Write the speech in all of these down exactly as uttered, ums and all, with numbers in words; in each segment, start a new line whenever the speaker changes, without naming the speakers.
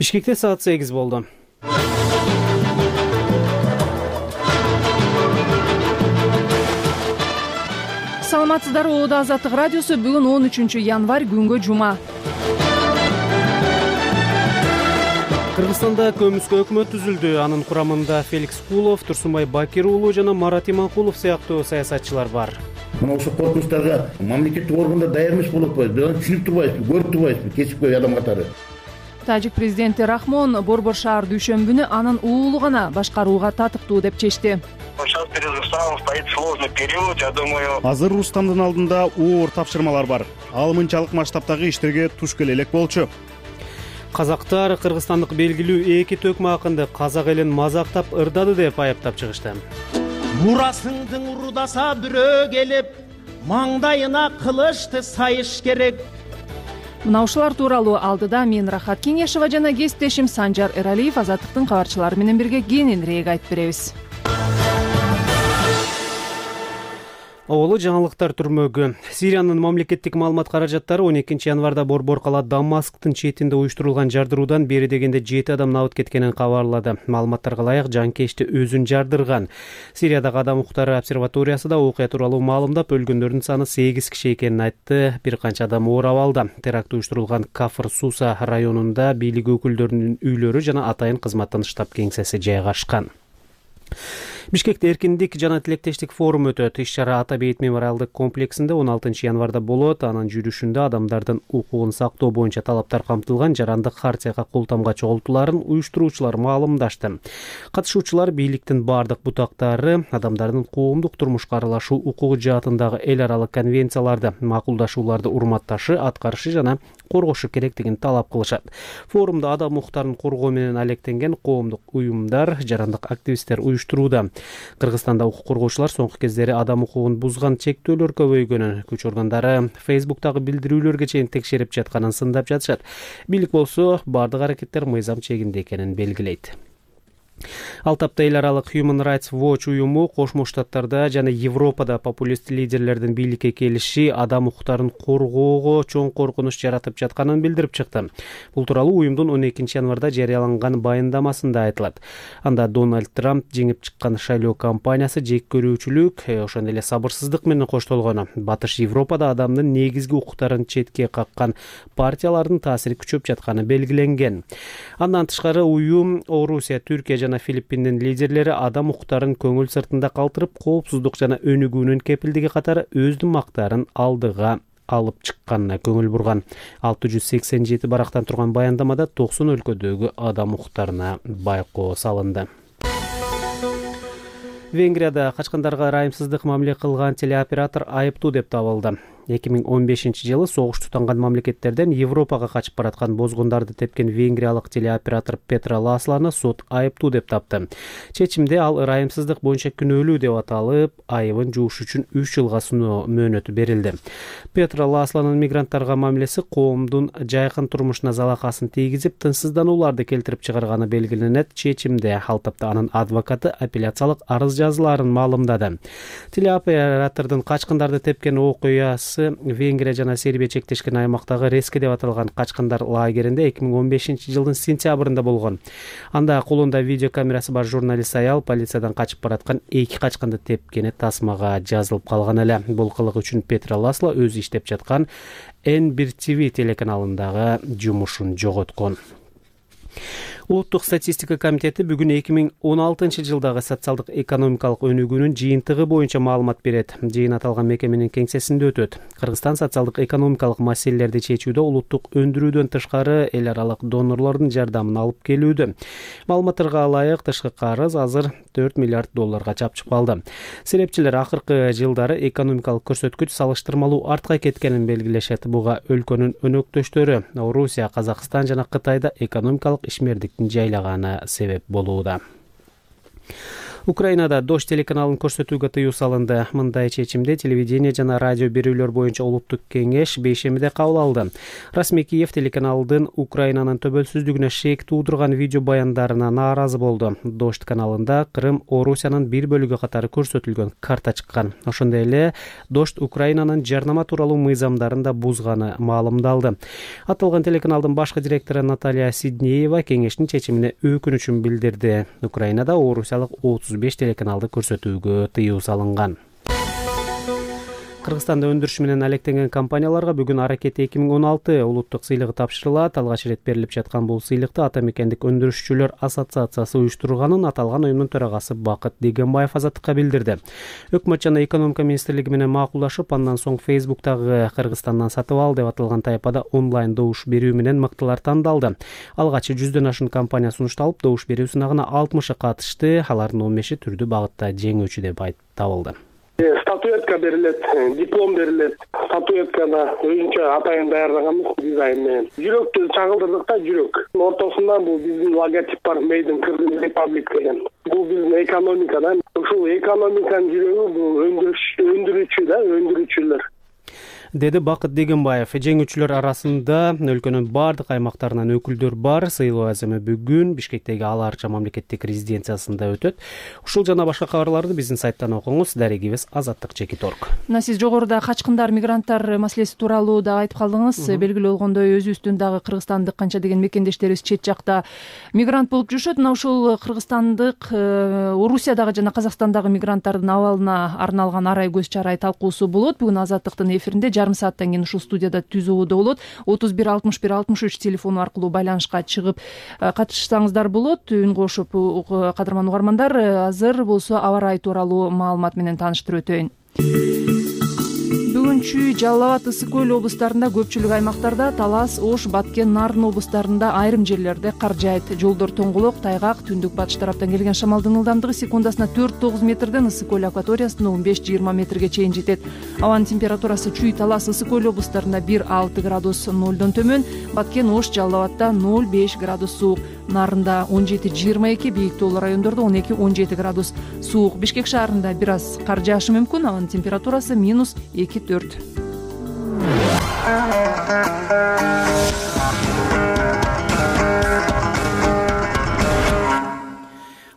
Бишкекте саат сегиз болду.
Саламатсыздарбы, Оодо Азаттык радиосу. Бүгүн он үчүнчү январь, күнгө жума.
Кыргызстанда көмүскө өкмөт түзүлдү. Анын курамында Феликс Кулов, Турсунбай Бакир уулу жана Марат Иманкулов сыяктуу саясатчылар бар.
Мына ошол коркунучтарга мамлекеттик органдар даяр эмес болуп атпайбы, түшүнүп турбайбызбы, көрүп турбайбызбы кесипкөй адам катары.
Тажик президенти Рахмон Борбор шаар дүйшөмбүнү анын уулу гана башкарууга татыктуу деп чечти.
Сейчас перед Рустамом стоит сложный период, я думаю.
Азыр Рустамдын алдында оор тапшырмалар бар. Ал мынчалык масштабтагы иштерге туш келе элек болчу.
Казактар кыргызстандык белгилүү эки төкмө акынды казак элин мазактап ырдады деп айыптап чыгышты.
Мурасыңдың урудаса бирөө келип, маңдайына кылычты сайыш керек.
Мына ушулар тууралуу алдыда мен Рахат Кеңешова жана кесиптешим Санжар Эралиев Азаттыктын кабарчылары менен бирге кененирээк айтып беребиз.
Оболу жаңылыктар түрмөгү. Сириянын мамлекеттик маалымат каражаттары он экинчи январда Борбор кала Дамасктын четинде уюштурулган жардыруудан бери дегенде жети адам абыт кеткенин кабарлады. Маалыматтарга ылайык жанкечти өзүн жардырган. Сириядагы адам укуктары обсерваториясы да окуя тууралуу маалымдап, өлгөндөрдүн саны сегиз киши экенин айтты. Бир канча адам оор абалда. Теракт уюштурулган Кафыр Суса районунда бийлик өкүлдөрүнүн үйлөрү жана атайын кызматтын штаб кеңсеси жайгашкан. Бишкекте эркиндик жана тилектештик форум өтөт. Иш-чара Ата бейит мемориалдык комплексинде он алтынчы январда болот. Анын жүрүшүндө адамдардын укугун сактоо боюнча талаптар камтылган жарандык хартияга кол тамга чогултууларын уюштуруучулар маалымдашты. Катышуучулар бийликтин бардык бутактары адамдардын коомдук турмушка аралашуу укугу жаатындагы эл аралык конвенцияларды, макулдашууларды урматташы, аткарышы жана коргошу керектигин талап кылышат. Форумда адам укуктарын коргоо менен алектенген коомдук уюмдар, жарандык активисттер уюштурууда. Кыргызстанда укук коргоочулар соңку кездери адам укугун бузган чектөөлөр көбөйгөнүн, күч органдары Фейсбуктагы билдирүүлөргө чейин текшерип жатканын сындап жатышат. Бийлик болсо бардык аракеттер мыйзам чегинде экенин белгилейт. Ал тапта эл аралык Human Rights Watch уюму Кошмо Штаттарда жана Европада популист лидерлердин бийликке келиши адам укуктарын коргоого чоң коркунуч жаратып жатканын билдирип чыкты. Бул тууралуу уюмдун он экинчи январда жарыяланган баяндамасында айтылат. Анда Дональд Трамп жеңип чыккан шайлоо кампаниясы жек көрүүчүлүк, ошондой эле сабырсыздык менен коштолгону, Батыш Европада адамдын негизги укуктарын четке каккан партиялардын таасири күчөп жатканы белгиленген. Андан тышкары уюм Орусия, Түркия жана Филиппиндин лидерлери адам укуктарын көңүл сыртында калтырып, коопсуздук жана өнүгүүнүн кепилдиги катары өздүн мактарын алдыга алып чыкканына көңүл бурган. алты жүз сексен жети барактан турган баяндамада токсон өлкөдөгү адам укуктарына байкоо салынды. Венгрияда качкандарга ырайымсыздык мамиле кылган телеоператор айыптуу деп табылды. эки миң он бешинчи жылы согуш тутанган мамлекеттерден Европага качып бараткан бозгундарды тепкен венгриялык телеоператор Петра Ласланы сот айыптуу деп тапты. Чечимде ал ырайымсыздык боюнча күнөөлүү деп аталып, айыбын жууш үчүн үч жылга сыноо мөөнөтү берилди. Петра Ласланын мигранттарга мамилеси коомдун жайкын турмушуна залакасын тийгизип, тынчсызданууларды келтирип чыгарганы белгиленет. Чечимде ал тапта анын адвокаты апелляциялык арыз жазууларын маалымдады. Телеоператордун качкындарды тепкен окуясы Венгрия жана Сербия чектешкен аймактагы Реске деп аталган качкындар лагеринде эки миң он бешинчи жылдын сентябрында болгон. Анда колунда видео камерасы бар журналист аял полициядан качып бараткан эки качкынды тепкени тасмага жазылып калган эле. Бул кылык үчүн Петра Ласло өзү иштеп жаткан эн бир ти ви телеканалындагы жумушун жоготкон. Улуттук статистика комитети бүгүн эки миң он алтынчы жылдагы социалдык экономикалык өнүгүүнүн жыйынтыгы боюнча маалымат берет. Жыйын аталган мекеменин кеңсесинде өтөт. Кыргызстан социалдык экономикалык маселелерди чечүүдө улуттук өндүрүүдөн тышкары эл аралык донорлордун жардамын алып келүүдө. Маалыматтарга ылайык тышкы карыз азыр төрт миллиард долларга чапчып калды. Серепчилер акыркы жылдары экономикалык көрсөткүч салыштырмалуу артка кеткенин белгилешет. Буга өлкөнүн өнөктөштөрү Орусия, Казакстан жана Кытайда экономикалык ишмердиктин жайлаганы себеп болууда. Украинада Дождь телеканалын көрсөтүүгө тыюу салынды. Мындай чечимди телевидение жана радио берүүлөр боюнча улуттук кеңеш бейшембиде кабыл алды. Расмий Киев телеканалдын Украинанын төбөлсүздүгүнө шек туудурган видео баяндарына нааразы болду. Дождь каналында Крым Орусиянын бир бөлүгү катары көрсөтүлгөн карта чыккан. Ошондой эле Дождь Украинанын жарнама тууралуу мыйзамдарын да бузганы маалымдалды. Аталган телеканалдын башкы директору Наталья Сиднеева кеңештин чечимине өкүнүчүн билдирди. Украинада Орусиялык отуз беш телеканалды көрсөтүүгө тыюу салынган. Кыргызстанда өндүрүш менен алектенген компанияларга бүгүн Аракет эки миң он алты улуттук сыйлыгы тапшырылат. Алгач ирет берилип жаткан бул сыйлыкты Ата мекендик өндүрүшчүлөр ассоциациясы уюштурганын аталган уюмдун төрагасы Бакыт Дегенбаев Азаттыкка билдирди. Өкмөт жана экономика министрлиги менен макулдашып, андан соң Facebook'тагы Кыргызстандан сатып ал деп аталган тайпада онлайн добуш берүү менен мыктылар тандалды. Алгач жүздөн ашуун компания сунушталып, добуш берүү сынагына алтымышы катышты. Алардын он беши түрдүү багытта жеңүүчү деп табылды.
Статуэтка берилет, диплом берилет. Статуэткада өзүнчө атайын даярдаганбыз дизайн менен. Жүрөктү чагылдырдык да, жүрөк. Ортосунда бул биздин логотип бар, Made in Kyrgyz Republic деген. Бул биздин экономикада. Ушул экономиканын жүрөгү бул өндүрүш, өндүрүүчү да, өндүрүүчүлөр.
Деди Бакыт Дегенбаев. Жеңүүчүлөр арасында өлкөнүн бардык аймактарынан өкүлдөр бар. Сыйлоо аземы бүгүн Бишкектеги Ала Арча мамлекеттик резиденциясында өтөт. Ушул жана башка кабарларды биздин сайттан окуңуз. Дарегибиз Азаттык чекит точка орг.
Мына сиз жогоруда качкындар, мигранттар маселеси тууралуу да айтып калдыңыз. Белгилүү болгондой өзүбүздүн дагы кыргызстандык канча деген мекендештерибиз чет жакта мигрант болуп жүрүшөт. Мына ушул кыргызстандык, Орусиядагы жана Казакстандагы мигранттардын абалына арналган арай көз чарай талкуусу болот. Бүгүн Азаттыктын эфиринде жарым сааттан кийин ушул студияда түзүүдө болот. отуз бир алтымыш бир алтымыш үч телефону аркылуу байланышка чыгып катышсаңыздар болот. Үн кошуп, кадырман угармандар, азыр болсо аба ырайы тууралуу маалымат менен тааныштырып өтөйүн. Бүгүнчү Жалал абад, Ысык көл облустарында көпчүлүк аймактарда, Талас, Ош, Баткен, Нарын облустарында айрым жерлерде кар жаайт. Жолдор тоңголок, тайгак, түндүк батыш тараптан келген шамалдын ылдамдыгы секундасына төрт тогуз метрден Ысык көл акваториясында он беш жыйырма метрге чейин жетет. Абанын температурасы Чүй, Талас, Ысык көл облустарында бир алты градус нолдон төмөн, Баткен, Ош, Жалал абадда ноль беш градус суук, Нарында он жети жыйырма эки, бийик тоолуу райондордо он эки он жети градус суук. Бишкек шаарында бир аз кар жаашы мүмкүн, абанын температурасы минус эки төрт.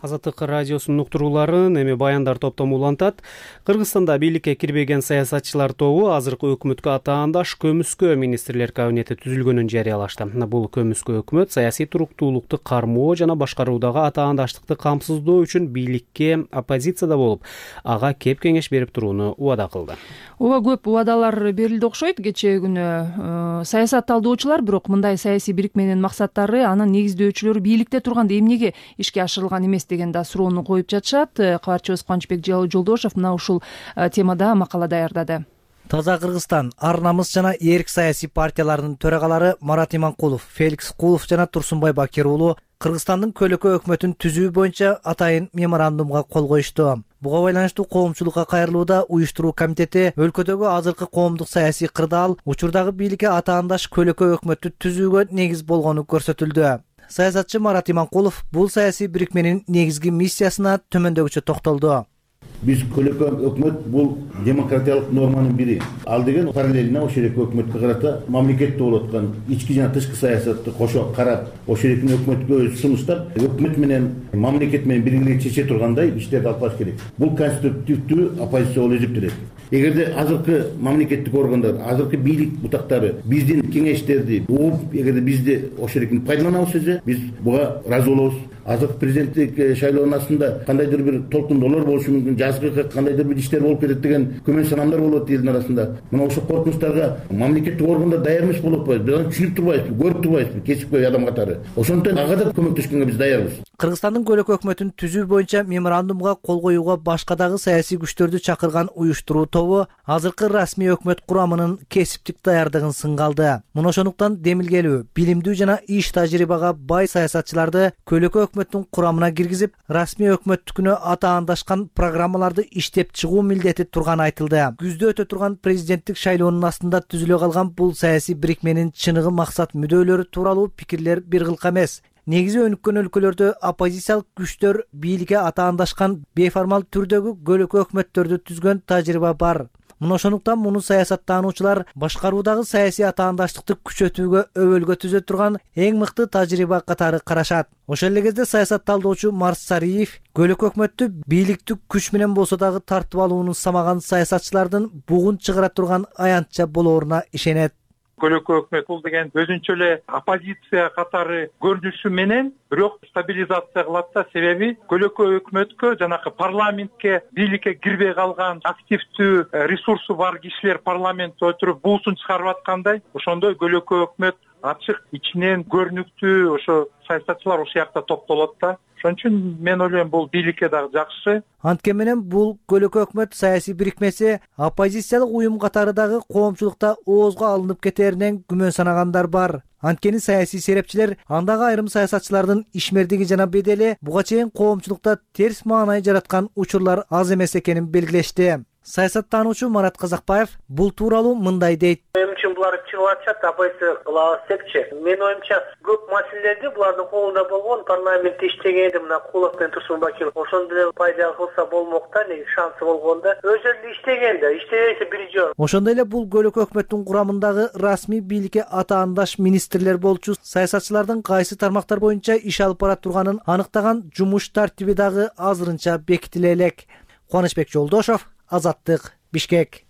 Азаттык радиосунун уктурууларын эми баяндар топтому улантат. Кыргызстанда бийликке кирбеген саясатчылар тобу азыркы өкмөткө атаандаш көмүскө министрлер кабинети түзүлгөнүн жарыялашты. Бул көмүскө өкмөт саясий туруктуулукту кармоо жана башкаруудагы атаандаштыкты камсыздоо үчүн бийликке оппозицияда болуп, ага кеп кеңеш берип турууну убада кылды.
Ооба, көп убадалар берилди окшойт кечээ күнү. Саясат талдоочулар бирок мындай саясий бирикменин максаттары, анын негиздөөчүлөрү бийликте турганда эмнеге ишке ашырылган эмес деген да суроону коюп жатышат. Кабарчыбыз Кубанычбек Жолдошов мына ушул темада макала даярдады.
Таза Кыргызстан, Ар намыс жана Эрк саясий партияларынын төрагалары Марат Иманкулов, Феликс Кулов жана Турсунбай Бакир уулу Кыргызстандын көлөкө өкмөтүн түзүү боюнча атайын меморандумга кол коюшту. Буга байланыштуу коомчулукка кайрылууда уюштуруу комитети өлкөдөгү азыркы коомдук саясий кырдаал учурдагы бийликке атаандаш көлөкө өкмөттү түзүүгө негиз болгону көрсөтүлдү. Саясатчы Марат Иманкулов бул саясий бирикменин негизги миссиясына төмөндөгүчө токтолду.
Биз көлөкө өкмөт бул демократиялык норманын бири. Ал деген параллельно ошол эле өкмөткө карата мамлекетте болуп аткан ички жана тышкы саясатты кошо карап, ошол эле өкмөткө сунуштап, өкмөт менен мамлекет менен биргеликте чече тургандай иштерди алып барыш керек. Бул конструктивдүү оппозиция болуп эсептелет. Эгерде азыркы мамлекеттик органдар, азыркы бийлик бутактары биздин кеңештерди угуп, эгерде бизди ошол эле пайдаланабыз десе, биз буга ыраазы болобуз. Азыркы президенттик шайлоонун астында кандайдыр бир толкундоолор болушу мүмкүн, жазгы кандайдыр бир иштер болуп кетет деген күмөн санамдар болот элдин арасында. Мына ошол коркунучтарга мамлекеттик органдар даяр эмес болуп атпайбы? Биз аны түшүнүп турбайбызбы, көрүп турбайбызбы, кесипкөй адам катары. Ошондон ага да көмөктөшкөнгө биз даярбыз.
Кыргызстандын көлөкө өкмөтүн түзүү боюнча меморандумга кол коюуга башка дагы саясий күчтөрдү чакырган уюштуруу тобу азыркы расмий өкмөт курамынын кесиптик даярдыгын сынга алды. Мына ошондуктан демилгелүү, билимдүү жана иш тажрыйбага бай саясатчыларды көлөкө өкмөттүн курамына киргизип, расмий өкмөттүкүнө атаандашкан программаларды иштеп чыгуу милдети турганы айтылды. Күздө өтө турган президенттик шайлоонун астында түзүлө калган бул саясий бирикменин чыныгы максат мүдөлөрү тууралуу пикирлер бир кылка эмес. негизи өнүккөн өлкөлөрдө оппозициялык күчтөр бийликке атаандашкан бейформал түрдөгү көлөкө өкмөттөрдү түзгөн тажрыйба бар. Мына ошондуктан муну саясаттануучулар башкаруудагы саясий атаандаштыкты күчөтүүгө өбөлгө түзө турган эң мыкты тажрыйба катары карашат. Ошол эле кезде саясатталдоочу Марс Сариев көлөкө өкмөттү бийликтик күч менен болсо дагы тартып алууну самаган саясатчылардын бугун чыгара турган аянтча болооруна ишенет.
Көлөкө өкмөт бул деген өзүнчө эле оппозиция катары көрүнүшү менен бирок стабилизация кылат да, себеби көлөкө өкмөткө жанакы парламентке бийликке кирбей калган активдүү ресурсу бар кишилер парламентте отуруп буусун чыгарып аткандай, ошондой көлөкө өкмөт ачык ичинен көрүнүктүү ошо саясатчылар ушул жакта топтолот да. Ошон үчүн мен ойлойм бул бийликке дагы жакшы.
Анткени менен бул көлөкө өкмөт саясий бирикмеси оппозициялык уюм катары дагы коомчулукта оозго алынып кетээринен күмөн санагандар бар. Анткени саясий серепчилер андагы айрым саясатчылардын ишмердиги жана бедели буга чейин коомчулукта терс маанай жараткан учурлар аз эмес экенин белгилешти. Саясаттануучу Марат Казакбаев бул тууралуу мындай дейт.
Мен үчүн булар чыгып атышат, оппозиция кылабыз депчи. Мен оюмча көп маселелерди булардын колунда болгон, парламентте иштегенде мына Кулов менен Турсунбакиров ошондо эле пайда кылса болмок да, неги шансы болгондо. Өзү эле иштеген да, иштебесе бир жол.
Ошондой эле бул көлөкө өкмөттүн курамындагы расмий бийликке атаандаш министрлер болчу саясатчылардын кайсы тармактар боюнча иш алып бара турганын аныктаган жумуш тартиби дагы азырынча бекитиле элек. Кубанычбек Жолдошов, Азаттык, Бишкек.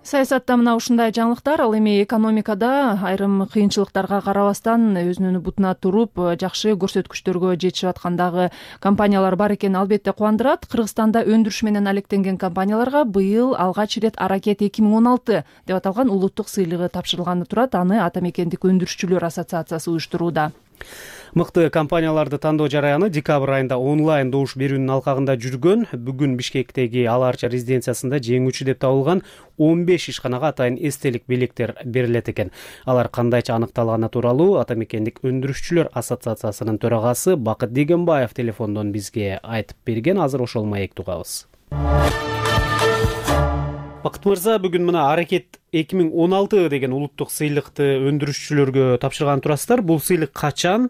Саясатта мына ушундай жаңылыктар. Ал эми экономикада айрым кыйынчылыктарга карабастан өзүнүн бутуна туруп жакшы көрсөткүчтөргө жетишип аткандагы компаниялар бар экени албетте кубандырат. Кыргызстанда өндүрүш менен алектенген компанияларга быйыл алгач ирет Аракет эки миң он алты деп аталган улуттук сыйлыгы тапшырылганы турат. Аны Ата мекендик өндүрүшчүлөр ассоциациясы уюштурууда.
Мыкты компанияларды тандоо жараяны декабрь айында онлайн добуш берүүнүн алкагында жүргөн. Бүгүн Бишкектеги Ала Арча резиденциясында жеңүүчү деп табылган он беш ишканага атайын эстелик белектер берилет экен. Алар кандайча аныкталганы тууралуу Ата мекендик өндүрүшчүлөр ассоциациясынын төрагасы Бакыт Дегенбаев телефондон бизге айтып берген. Азыр ошол маекти угабыз. Бакыт мырза, бүгүн мына Аракет эки миң он алты деген улуттук сыйлыкты өндүрүшчүлөргө тапшырган турасыздар. Бул сыйлык качан,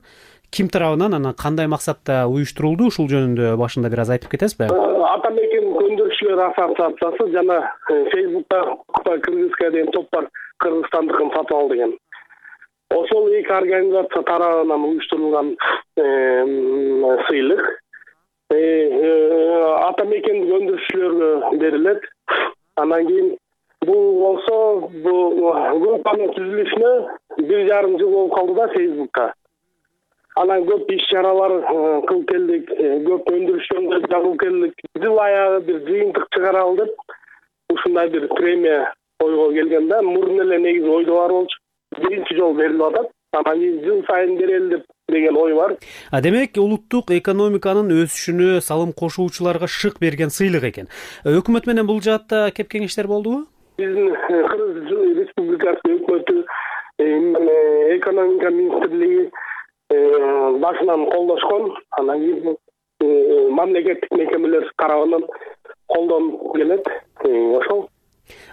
ким тарабынан, анан кандай максатта уюштурулду? Ушул жөнүндө башында бир аз айтып кетесизби?
Ата мекендик өндүрүшчүлөр ассоциациясы жана Фейсбукта Кыргызская деген топ бар, Кыргызстандыкын сатып ал деген. Ошол эки организация тарабынан уюштурулган сыйлык ата мекендик өндүрүшчүлөргө берилет. Анан кийин бул болсо бул группанын түзүлүшүнө бир жарым жыл болуп калды да Фейсбукта. Анан көп иш чаралар кылып келдик, көп өндүрүшчүлөр жагып келдик. Жыл аягы бир жыйынтык чыгаралы деп ушундай бир премия ойго келген да. Мурун эле негизи ойдо бар болчу. Биринчи жолу берилип атат. Анан жыл сайын берели деп деген ой бар.
А демек улуттук экономиканын өсүшүнө салым кошуучуларга шык берген сыйлык экен. Өкмөт менен бул жаатта кеп кеңештер болдубу?
Биздин Кыргыз Республикасы өкмөтү, экономика министрлиги башынан колдошкон. Анан кийин мамлекеттик мекемелер тарабынан колдонуп келет. Ошол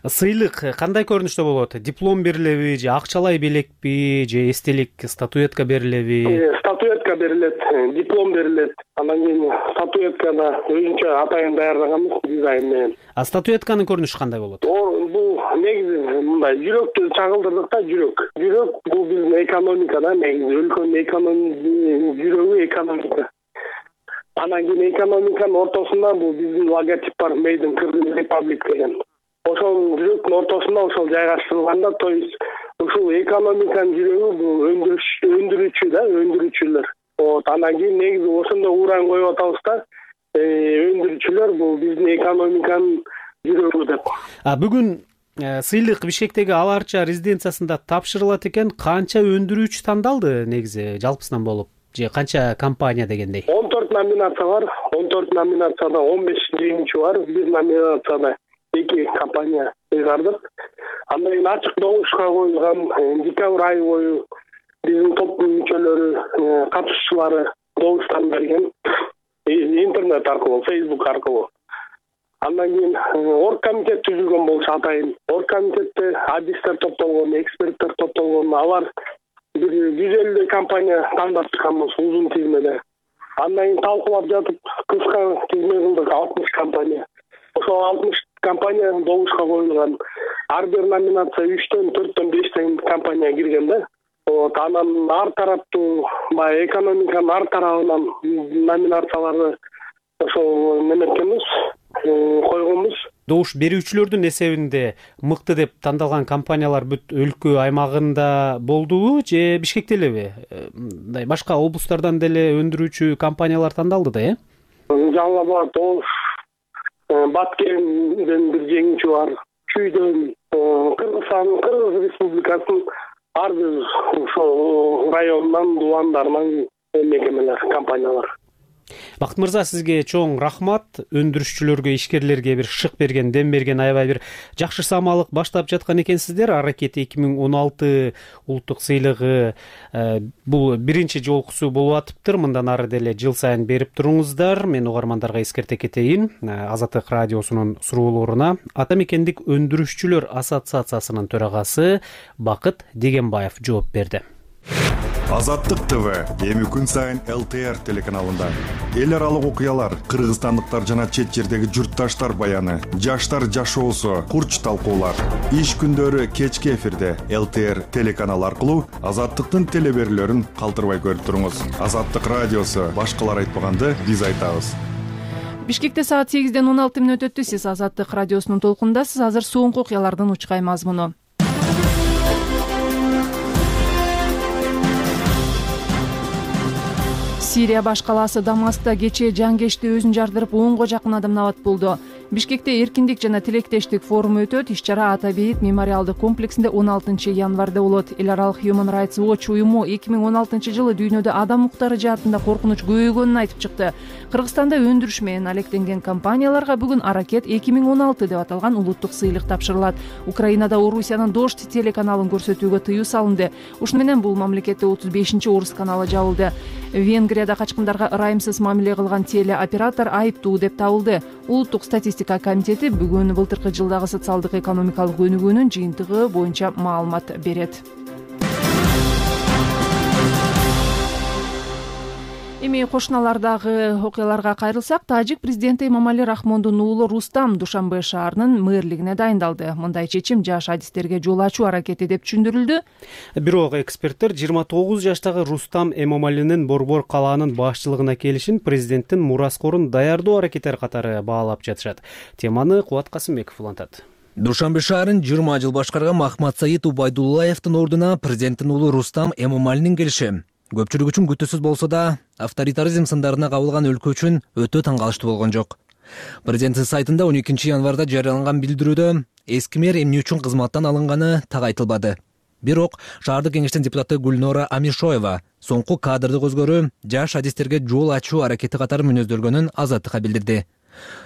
сыйлык кандай көрүнүштө болот? Диплом берилеби же акчалай белекпи же эстелик статуэтка берилеби?
Статуэтка берилет, диплом берилет. Анан кийин статуэтканы өзүнчө атайын даярдаганбыз дизайн менен.
А статуэтканын көрүнүшү кандай болот?
Бул негизи мындай жүрөктү чагылдырдык да, жүрөк. Жүрөк бул биздин экономикада негизи өлкөнүн экономикасы, жүрөгү экономика. Анан кийин экономиканын ортосунда бул биздин логотип бар, Made in Kyrgyz Republic деген. Ошол жүрөктүн ортосунда ошол жайгаштырылганда, то есть ушул экономиканын жүрөгү бул өндүрүш, өндүрүүчү да, өндүрүүчүлөр. Вот, анан кийин негизи ошондо уран коюп атабыз да, өндүрүүчүлөр бул биздин экономиканын жүрөгү деп.
А бүгүн сыйлык Бишкектеги Ала Арча резиденциясында тапшырылат экен. Канча өндүрүүчү тандалды негизи жалпысынан болуп? Же канча компания дегендей?
он төрт номинация бар. он төрт номинацияда он беш жеңүүчү бар. Бир номинацияда эки компания ыйгардык. Андан кийин ачык добушка коюлган декабрь айы бою биздин топтун мүчөлөрү, катышуучулары добуштан берген интернет аркылуу, Facebook аркылуу. Андан кийин оргкомитет түзүлгөн болчу атайын. Оргкомитетте адистер топтолгон, эксперттер топтолгон, алар бир жүз элүүдөй компания тандап чыкканбыз узун тизмеде. Андан кийин талкуулап жатып кыска тизме кылдык алтымыш компания. Ошол алтымыш компания добушка коюлган. Ар бир номинация үчтөн, төрттөн, бештен компания кирген да. Вот анан ар тараптуу баягы экономиканын ар тарабынан номинацияларды ошол неметкенбиз, койгонбуз.
Добуш берүүчүлөрдүн эсебинде мыкты деп тандалган компаниялар бүт өлкө аймагында болдубу же Бишкекте элеби? Мындай башка облустардан деле өндүрүүчү компаниялар тандалды да, э?
Жаңы бар, Добуш, Баткенден бир жеңүүчү бар, Чүйдөн, Кыргызстан, Кыргыз Республикасынын ар бир ошол районунан, дубандарынан мекемелер, компаниялар.
Бакыт мырза, сизге чоң рахмат. Өндүрүшчүлөргө, ишкерлерге бир шык берген, дем берген, аябай бир жакшы самалык баштап жаткан экенсиздер. Аракет эки миң он алты улуттук сыйлыгы бул биринчи жолкусу болуп атыптыр. Мындан ары деле жыл сайын берип туруңуздар. Мен угармандарга эскерте кетейин. Азаттык радиосунун суроолоруна Ата мекендик өндүрүшчүлөр ассоциациясынын төрагасы Бакыт Дегенбаев жооп берди.
Азаттык ТВ эми күн сайын эл тэ эр телеканалында эл аралык окуялар, кыргызстандыктар жана чет жердеги журтташтар баяны, жаштар жашоосу, курч талкуулар. Иш күндөрү кечки эфирде эл тэ эр телеканалы аркылуу Азаттыктын телеберүүлөрүн калтырбай көрүп туруңуз. Азаттык радиосу башкалар айтпаганды биз айтабыз.
Бишкекте саат сегизден он алты мүнөт өттү. Сиз Азаттык радиосунун толкундасыз. Азыр соңку окуялардын учкай мазмуну. Сирия баш калаасы Дамаскта кечээ жангечти өзүн жардырып онго жакын адам набат болду. Бишкекте эркиндик жана тилектештик форуму өтөт. Иш-чара Ата бейит мемориалдык комплексинде он алтынчы январда болот. Эл аралык Human Rights Watch уюму эки миң он алтынчы жылы дүйнөдө адам укуктары жаатында коркунуч көбөйгөнүн айтып чыкты. Кыргызстанда өндүрүш менен алектенген компанияларга бүгүн Аракет эки миң он алты деп аталган улуттук сыйлык тапшырылат. Украинада Орусиянын Дождь телеканалын көрсөтүүгө тыюу салынды. Ушуну менен бул мамлекетте отуз бешинчи орус каналы жабылды. Венгрияда качкындарга ырайымсыз мамиле кылган телеоператор айыптуу деп табылды. Улуттук статистика комитети бүгүн былтыркы жылдагы социалдык экономикалык өнүгүүнүн жыйынтыгы боюнча маалымат берет. Эми кошуналардагы окуяларга кайрылсак, тажик президенти Эмомали Рахмондун уулу Рустам Душанбе шаарынын мэрлигине дайындалды. Мындай чечим жаш адистерге жол ачуу аракети деп түшүндүрүлдү.
Бирок эксперттер жыйырма тогуз жаштагы Рустам Эмомалинин Борбор калаанын башчылыгына келишин президенттин мураскорун даярдоо аракеттери катары баалап жатышат. Теманы Кубат Касымбеков улантат.
Душанбе шаарын жыйырма жыл башкарган Махмат Саид Убайдуллаевдин ордуна президенттин уулу Рустам Эмомалинин келиши көпчүлүк үчүн күтүүсүз болсо да, авторитаризм сындарына кабылган өлкө үчүн өтө таң калыштуу болгон жок. Президенттин сайтында он экинчи январда жарыяланган билдирүүдө эски мэр эмне үчүн кызматтан алынганы так айтылбады. Бирок шаардык кеңештин депутаты Гульнора Амишоева соңку кадрдык өзгөрүү жаш адистерге жол ачуу аракети катары мүнөздөлгөнүн Азаттыкка билдирди.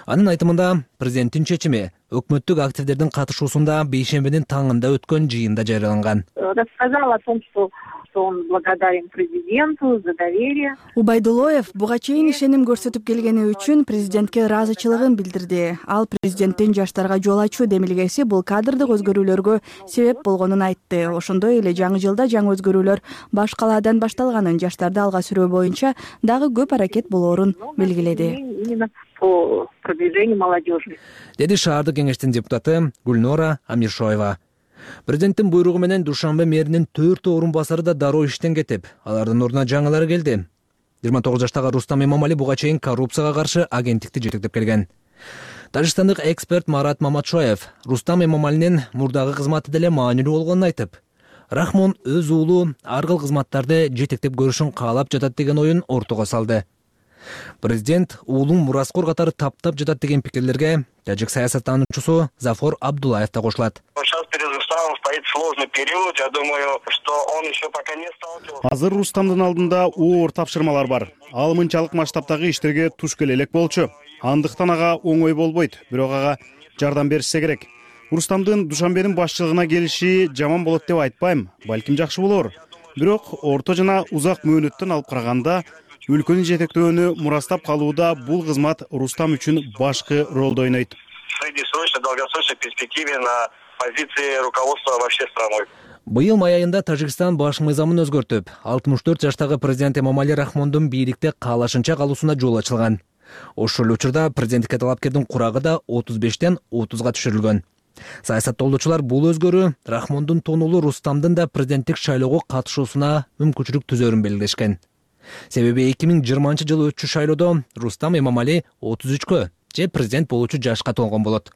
Анын айтымында президенттин чечими өкмөттүк активдердин катышуусунда бейшембинин таңында өткөн жыйында жарыяланган.
Рассказал о том, что он благодарен президенту за доверие.
Убайдуллаев буга чейин ишеним көрсөтүп келгени үчүн президентке ыраазычылыгын билдирди. Ал президенттин жаштарга жол ачуу демилгеси бул кадрдык өзгөрүүлөргө себеп болгонун айтты. Ошондой эле жаңы жылда жаңы өзгөрүүлөр баш калаадан башталганын, жаштарды алга сүрөө боюнча дагы көп аракет болоорун белгиледи.
Именно по продвижению молодежи.
Деди шаардык кеңештин депутаты Гульнора Амишоева. Президенттин буйругу менен Душанбе мэринин төрт орун басары да дароо иштен кетип, алардын ордуна жаңылары келди. жыйырма тогуз жаштагы Рустам Эмомали буга чейин коррупцияга каршы агенттикти жетектеп келген. Тажикстандык эксперт Марат Маматшоев Рустам Эмомалинин мурдагы кызматы деле маанилүү болгонун айтып, Рахмон өз уулу ар кыл кызматтарды жетектеп көрүшүн каалап жатат деген оюн ортого салды. Президент уулун мураскор катары таптап жатат деген пикирлерге тажик саясаттануучусу Зафор Абдуллаев да кошулат.
Сейчас перед Рустамом стоит сложный период. Я думаю, что он еще пока не сталкивался.
Азыр Рустамдын алдында оор тапшырмалар бар. Ал мынчалык масштабтагы иштерге туш келе элек болчу. Андыктан ага оңой болбойт, бирок ага жардам беришсе керек. Рустамдын Душанбенин башчылыгына келиши жаман болот деп айтпайм, балким жакшы болор. Бирок орто жана узак мөөнөттөн алып караганда өлкөнү жетектөөнү мурастап калууда бул кызмат Рустам үчүн башкы ролду ойнойт.
В среднесрочной, долгосрочной перспективе на позиции руководства вообще страной.
Быйыл май айында Тажикстан баш мыйзамын өзгөртүп, алтымыш төрт жаштагы президент Эмомали Рахмондун бийликте каалашынча калуусуна жол ачылган. Ошол учурда президенттикке талапкердин курагы да отуз бештен отузга түшүрүлгөн. Саясаттоолчулар бул өзгөрүү Рахмондун тонулу Рустамдын да президенттик шайлоого катышуусуна мүмкүнчүлүк түзөрүн белгилешкен. Себеби эки миң жыйырманчы жылы өтчү шайлоодо Рустам Эмомали отуз үчкө же президент болуучу жашка толгон болот.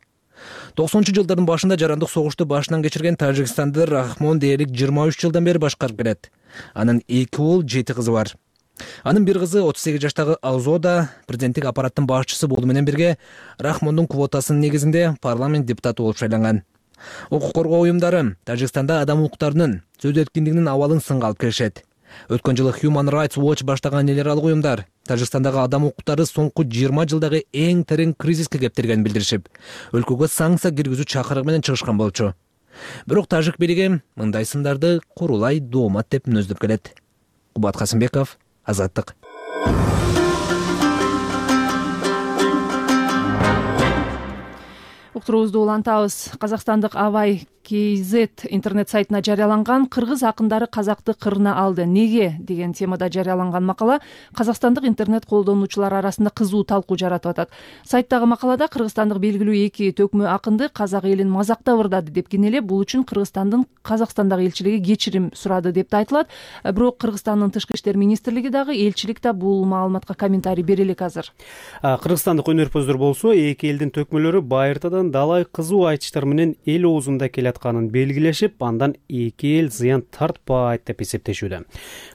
токсонунчу жылдардын башында жарандык согушту башынан кечирген Тажикстанды Рахмон дээрлик жыйырма үч жылдан бери башкарып келет. Анын эки уул, жети кызы бар. Анын бир кызы отуз сегиз жаштагы Алзода президенттик аппараттын башчысы болуу менен бирге Рахмондун квотасынын негизинде парламент депутаты болуп шайланган. Укук коргоо уюмдары Тажикстанда адам укуктарынын, сөз эркиндигинин абалын сынга алып келишет. Өткөн жылы Human Rights Watch баштаган эл аралык уюмдар Тажикстандагы адам укуктары соңку жыйырма жылдагы эң терең кризиске кептиргенин билдиришип, өлкөгө санкция киргизүү чакырыгы менен чыгышкан болчу. Бирок тажик бийлиги мындай сындарды курулай доомат деп мүнөздөп келет. Кубат Касымбеков, Азаттык.
Уктуруубузду улантабыз. Казакстандык Абай кей зет интернет сайтына жарыяланган кыргыз акындары казакты кырына алды. Неге деген темада жарыяланган макала казакстандык интернет колдонуучулар арасында кызуу талкуу жаратып атат. Сайттагы макалада кыргызстандык белгилүү эки төкмө акынды казак элин мазактап ырдады деп кенелеп, бул үчүн Кыргызстандын Казакстандагы элчилиги кечирим сурады деп да айтылат. Бирок Кыргызстандын тышкы иштер министрлиги дагы элчилик да бул маалыматка комментарий бере элек азыр.
Кыргызстандык өнөрпөздөр болсо эки элдин төкмөлөрү байыртадан далай кызуу айтыштар менен эл оозунда келатканын белгилешип, андан эки эл зыян тартпайт деп эсептешүүдө.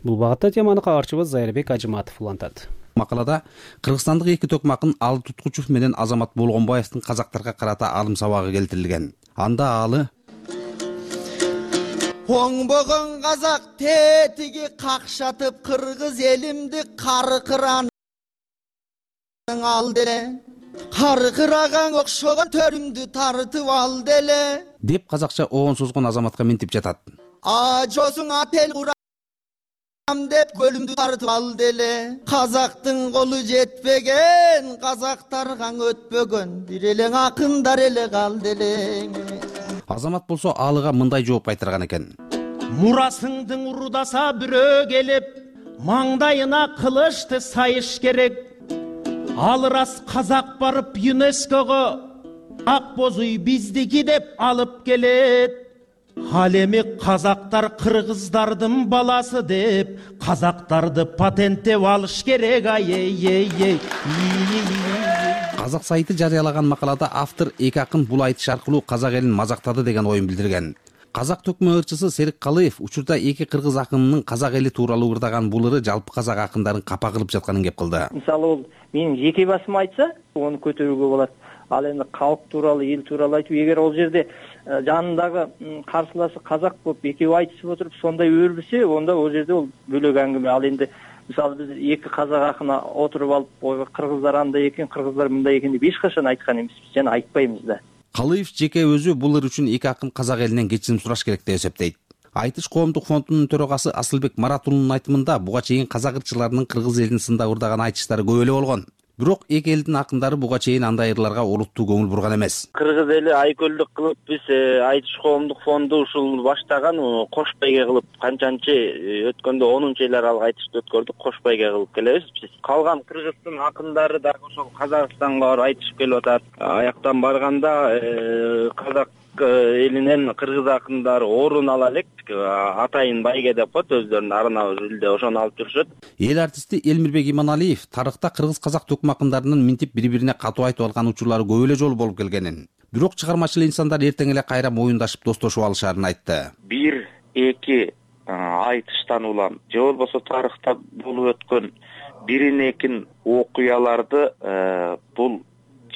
Бул багытта теманы кабарчыбыз Зайырбек Ажыматов улантат.
Макалада кыргызстандык эки төкмө акын Алы Туткучев менен Азамат Болгонбаевдин казактарга карата алым сабагы келтирилген. Анда Алы:
Оңбогон казак тетиги какшатып кыргыз элимди каркыранын ал деле. Каркыраган окшогон төрүмдү тартып ал деле
деп казакча оон созгон Азаматка минтип жатат.
Ажосуң апел курам деп көлүмдү тартып ал деле. Казактын колу жетпеген, казактарга өтпөгөн, бир элең акындар эле кал деле.
Азамат болсо Алыга мындай жооп кайтарган экен.
Мурасыңдын урудаса бирөө келип, маңдайына кылычты сайыш керек. Ал рас казак барып ЮНЕСКОго ак боз үй биздики деп алып келет. Ал эми казактар кыргыздардын баласы деп казактарды патенттеп алыш керек. Ай-ей-ей.
Казак сайты жарыялаган макалада автор эки акын бул айтыш аркылуу казак элин мазактады деген оюн билдирген. Казак төкмө ырчысы Серик Калыев учурда эки кыргыз акынынын казак эли тууралуу ырдаган бул ыры жалпы казак акындарын капа кылып жатканын кеп кылды.
Мисалы ол менин жеке басым айтса, оны көтөрүүгө болот. Ал эми калк тууралуу, эл тууралуу айтып, эгер ол жерде жанындагы каршылашы казак болуп экөө айтышып отуруп сондай өрбүсө, онда ол жерде ол бөлөк аңгеме. Ал энди мисалы биз эки казак акына отуруп алып, кыргыздар андай экен, кыргыздар мындай экен деп эч качан айткан эмеспиз, жана айтпайбыз да.
Калыев жеке өзү бул ыр үчүн эки акын казак элинен кечирим сураш керек деп эсептейт. Айтыш коомдук фондунун төрагасы Асылбек Маратулунун айтымында буга чейин казак ырчыларынын кыргыз элин сындап ырдаган айтыштары көп эле болгон. Бирок эки элдин акындары буга чейин андай ырларга олуттуу көңүл бурган эмес.
Кыргыз эли айкөлдүк кылып биз айтыш коомдук фонду ушул баштаган кош байге кылып канчанчы өткөндө онунчу эл аралык айтышты өткөрдүк, кош байге кылып келебиз биз. Калган кыргыздын акындары дагы ошол Казакстанга барып айтышып келип атат. Аяктан барганда казак элинен кыргыз акындары орун ала элек, атайын байге деп коет, өздөрүнүн арына жүлде ошону алып жүрүшөт.
Эл артисти Элмирбек Иманалиев тарыхта кыргыз казак төкмө акындарынын минтип бири-бирине катуу айтып алган учурлары көп эле жолу болуп келгенин, бирок чыгармачыл инсандар эртең эле кайра моюндашып достошуп алышаарын айтты.
Бир эки айтыштан улам же болбосо тарыхта болуп өткөн бирин экин окуяларды бул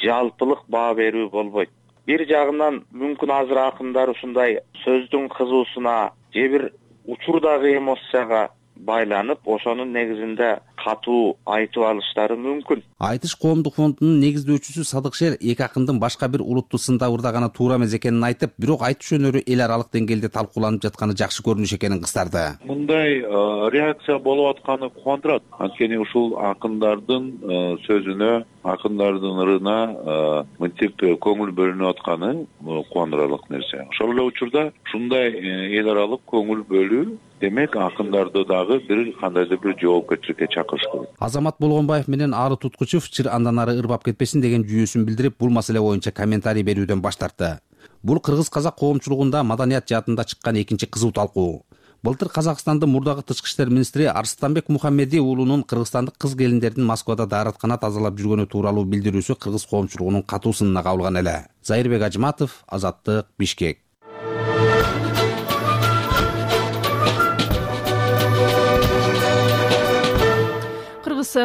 жалпылык баа берүү болбойт. Бир жагынан мүмкүн азыр акындар ушундай сөздүн кызуусуна же бир учурдагы эмоцияга байланып, ошонун негизинде катуу айтып алыштары мүмкүн.
Айтыш коомдук фондунун негиздөөчүсү Садыкшер эки акындын башка бир улутту сындап ырдаганы туура эмес экенин айтып, бирок айтыш өнөрү эл аралык деңгээлде талкууланып жатканы жакшы көрүнүш экенин кыстарды.
Мындай реакция болуп атканы кубандырат. Анткени ушул акындардын сөзүнө акындардын ырына мынтип көңүл бөлүнүп атканы кубандырарлык нерсе. Ошол эле учурда ушундай эл аралык көңүл бөлүү демек акындарды дагы бир кандайдыр бир жоопкерчиликке чакырыш керек.
Азамат Болгонбаев менен Ары Туткучев чыр андан ары ырбап кетпесин деген жүйөсүн билдирип, бул маселе боюнча комментарий берүүдөн баш тартты. Бул кыргыз казак коомчулугунда маданият жаатында чыккан экинчи кызуу талкуу. Былтыр Казакстандын мурдагы тышкы иштер министри Арстанбек Мухаммеди уулунун кыргызстандык кыз келиндердин Москвада даараткана тазалап жүргөнү тууралуу билдирүүсү кыргыз коомчулугунун катуу сынына кабылган эле. Зайырбек Ажыматов, Азаттык, Бишкек.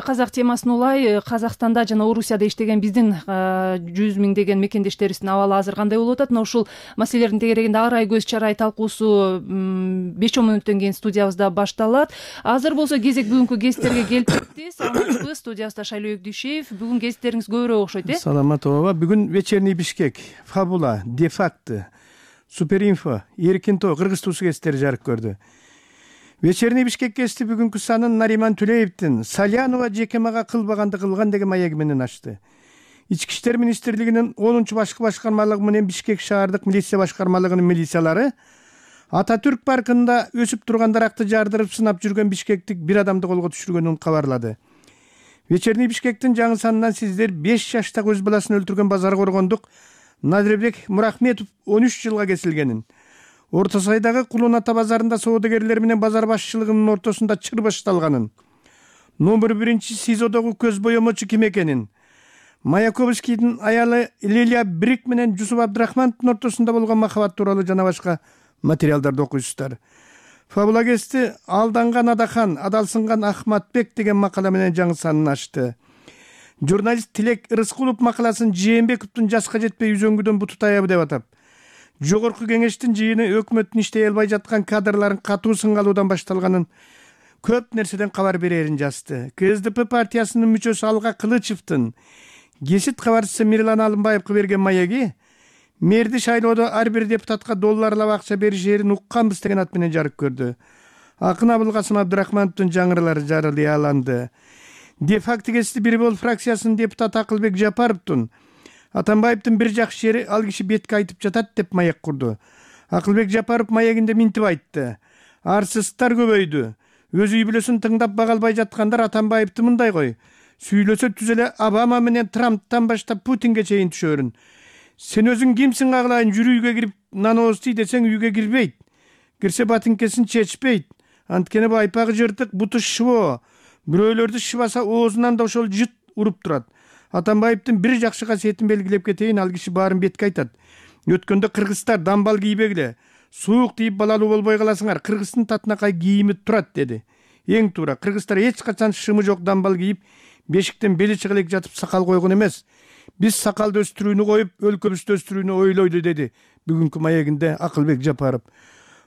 Казак темасын улай Казакстанда жана Орусияда иштеген биздин жүз миңдеген мекендештерибиздин абалы азыр кандай болуп атат? Мына ушул маселелердин тегерегинде ар ай көз чарай талкуусу беш он мүнөттөн кийин студиябызда башталат. Азыр болсо кезек бүгүнкү гесттерге келип кетти. Саламатсызбы? Студиябызда Шайлообек Дүйшеев. Бүгүн гесттериңиз көбүрөөк окшойт, э?
Саламатова. Бүгүн Вечерний Бишкек, Фабула, Дефакты, Суперинфо, Эркин Тоо, Кыргыз туусу гесттери жарык көрдү. Вечерний Бишкек гести бүгүнкү санын Нариман Түлеевдин Салянова жекемага кылбаганды кылган деген маеги менен ачты. Ички иштер министрлигинин онунчу башкы башкармалыгы менен Бишкек шаардык милиция башкармалыгынын милициялары Ататүрк паркында өсүп турган даракты жардырып сынап жүргөн бишкектик бир адамды колго түшүргөнүн кабарлады. Вечерний Бишкектин жаңы санынан сиздер беш жаштагы өз баласын өлтүргөн базар коргондук Надребек Мурахметов он үч жылга кесилгенин, Орто Сайдагы Кулун Ата базарында соодагерлер менен базар башчылыгынын ортосунда чыр башталганын, номер биринчи СИЗОдогу көз боемочу ким экенин, Маяковскийдин аялы Лилия Брик менен Жусуп Абдрахмановдун ортосунда болгон махабат тууралуу жана башка материалдарды окуйсуздар. Фабула гести Алданган Адахан, адалсынган Ахматбек деген макала менен жаңы санын ачты. Журналист Тилек Рыскулов макаласын Жээнбековдун жаска жетпей үзөңгүдөн буту таябы деп атап, Жогорку кеңештин жыйыны өкмөттүн иштей албай жаткан кадрларын катуу сынга алуудан башталганын, көп нерседен кабар берерин жазды. КСДП партиясынын мүчөсү Алга Кылычевдин Гесит кабарчысы Мирлан Алымбаевге берген маеги мэрди шайлоодо ар бир депутатка долларлап акча бериш жерин укканбыз деген ат менен жарык көрдү. Акын Абылкасым Абдрахмановдун жаңыралары жарыяланды. Дефакты гести бир бол фракциясынын депутаты Акылбек Жапаровдун Атамбаевдин бир жакшы жери ал киши бетке айтып жатат деп маек курду. Акылбек Жапаров маегинде минтип айтты. Арсыздыктар көбөйдү. Өз үй бүлөсүн тыңдап бага албай жаткандар Атамбаевди мындай кой. Сүйлөсө түз эле Обама менен Трамптан баштап Путинге чейин түшөрүн. Сен өзүң кимсиң агылайын, жүрү үйгө кирип нан оозтуй десең үйгө кирбейт. Кирсе батынкесин чечпейт. Анткени байпагы жыртык, буту шыбоо. Бирөөлөрдү шыбаса оозунан да ошол жыт уруп турат. Атамбаевдин бир жакшы касиетин белгилеп кетейин, ал киши баарын бетке айтат. Өткөндө кыргыздар дамбал кийбегиле, суук тийип балалуу болбой каласыңар, кыргыздын татынакай кийими турат деди. Эң туура, кыргыздар эч качан шымы жок дамбал кийип, бешиктен бели чыга элек жатып сакал койгон эмес. Биз сакалды өстүрүүнү коюп, өлкөбүздү өстүрүүнү ойлойду деди бүгүнкү маегинде Акылбек Жапаров.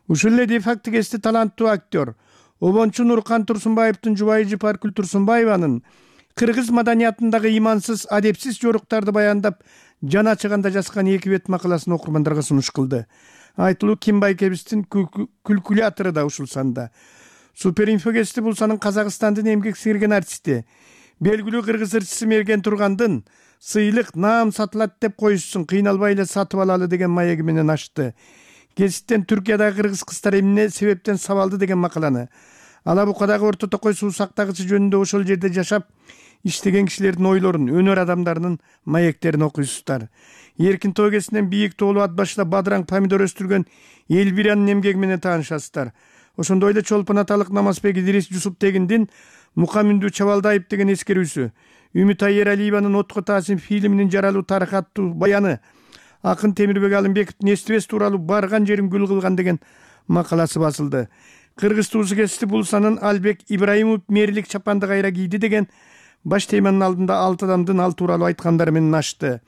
Ушул эле Дефакты гести таланттуу актер Обончу Нуркан Турсунбаевдин жубайы Жыпаркүл Турсунбаеванын кыргыз маданиятындагы имансыз, адепсиз жоруктарды баяндап, жана ачыганда жазган эки бет макаласын окурмандарга сунуш кылды. Айтылуу Ким Байкебиздин калькулятору да ушул санда. Суперинфо гести бул санын Казакстандын эмгек сиңирген артисти, белгилүү кыргыз ырчысы Мерген Тургандын сыйлык наам сатылат деп коюшсун, кыйналбай эле сатып алалы деген маеги менен ачты. Геситтен Түркиядагы кыргыз кыздар эмне себептен сабалды деген макаланы, Алабукадагы Орто Токой суу сактагычы жөнүндө ошол жерде жашап иштеген кишилердин ойлорун, өнөр адамдарынын маектерин окуйсуздар. Эркин Тоо гесинен бийик тоолуу ат башында бадыраң помидор өстүргөн Элбиранын эмгеги менен таанышасыздар. Ошондой эле Чолпон аталык Намазбек Идирис Жусуп Тегиндин Мукамүндү Чабалдаев деген эскерүүсү, Үмүт Айералиеванын Отко Таасим фильминин жаралуу тарыхы аттуу баяны, Акын Темирбек Алымбековдун Эстебес тууралуу барган жерин гүл кылган деген макаласы басылды. Кыргыз туусу гести бул санын Албек Ибраимов мэрлик чапанды кайра кийди деген баш теманын алдында алты адамдын ал тууралуу айткандары менен ачты.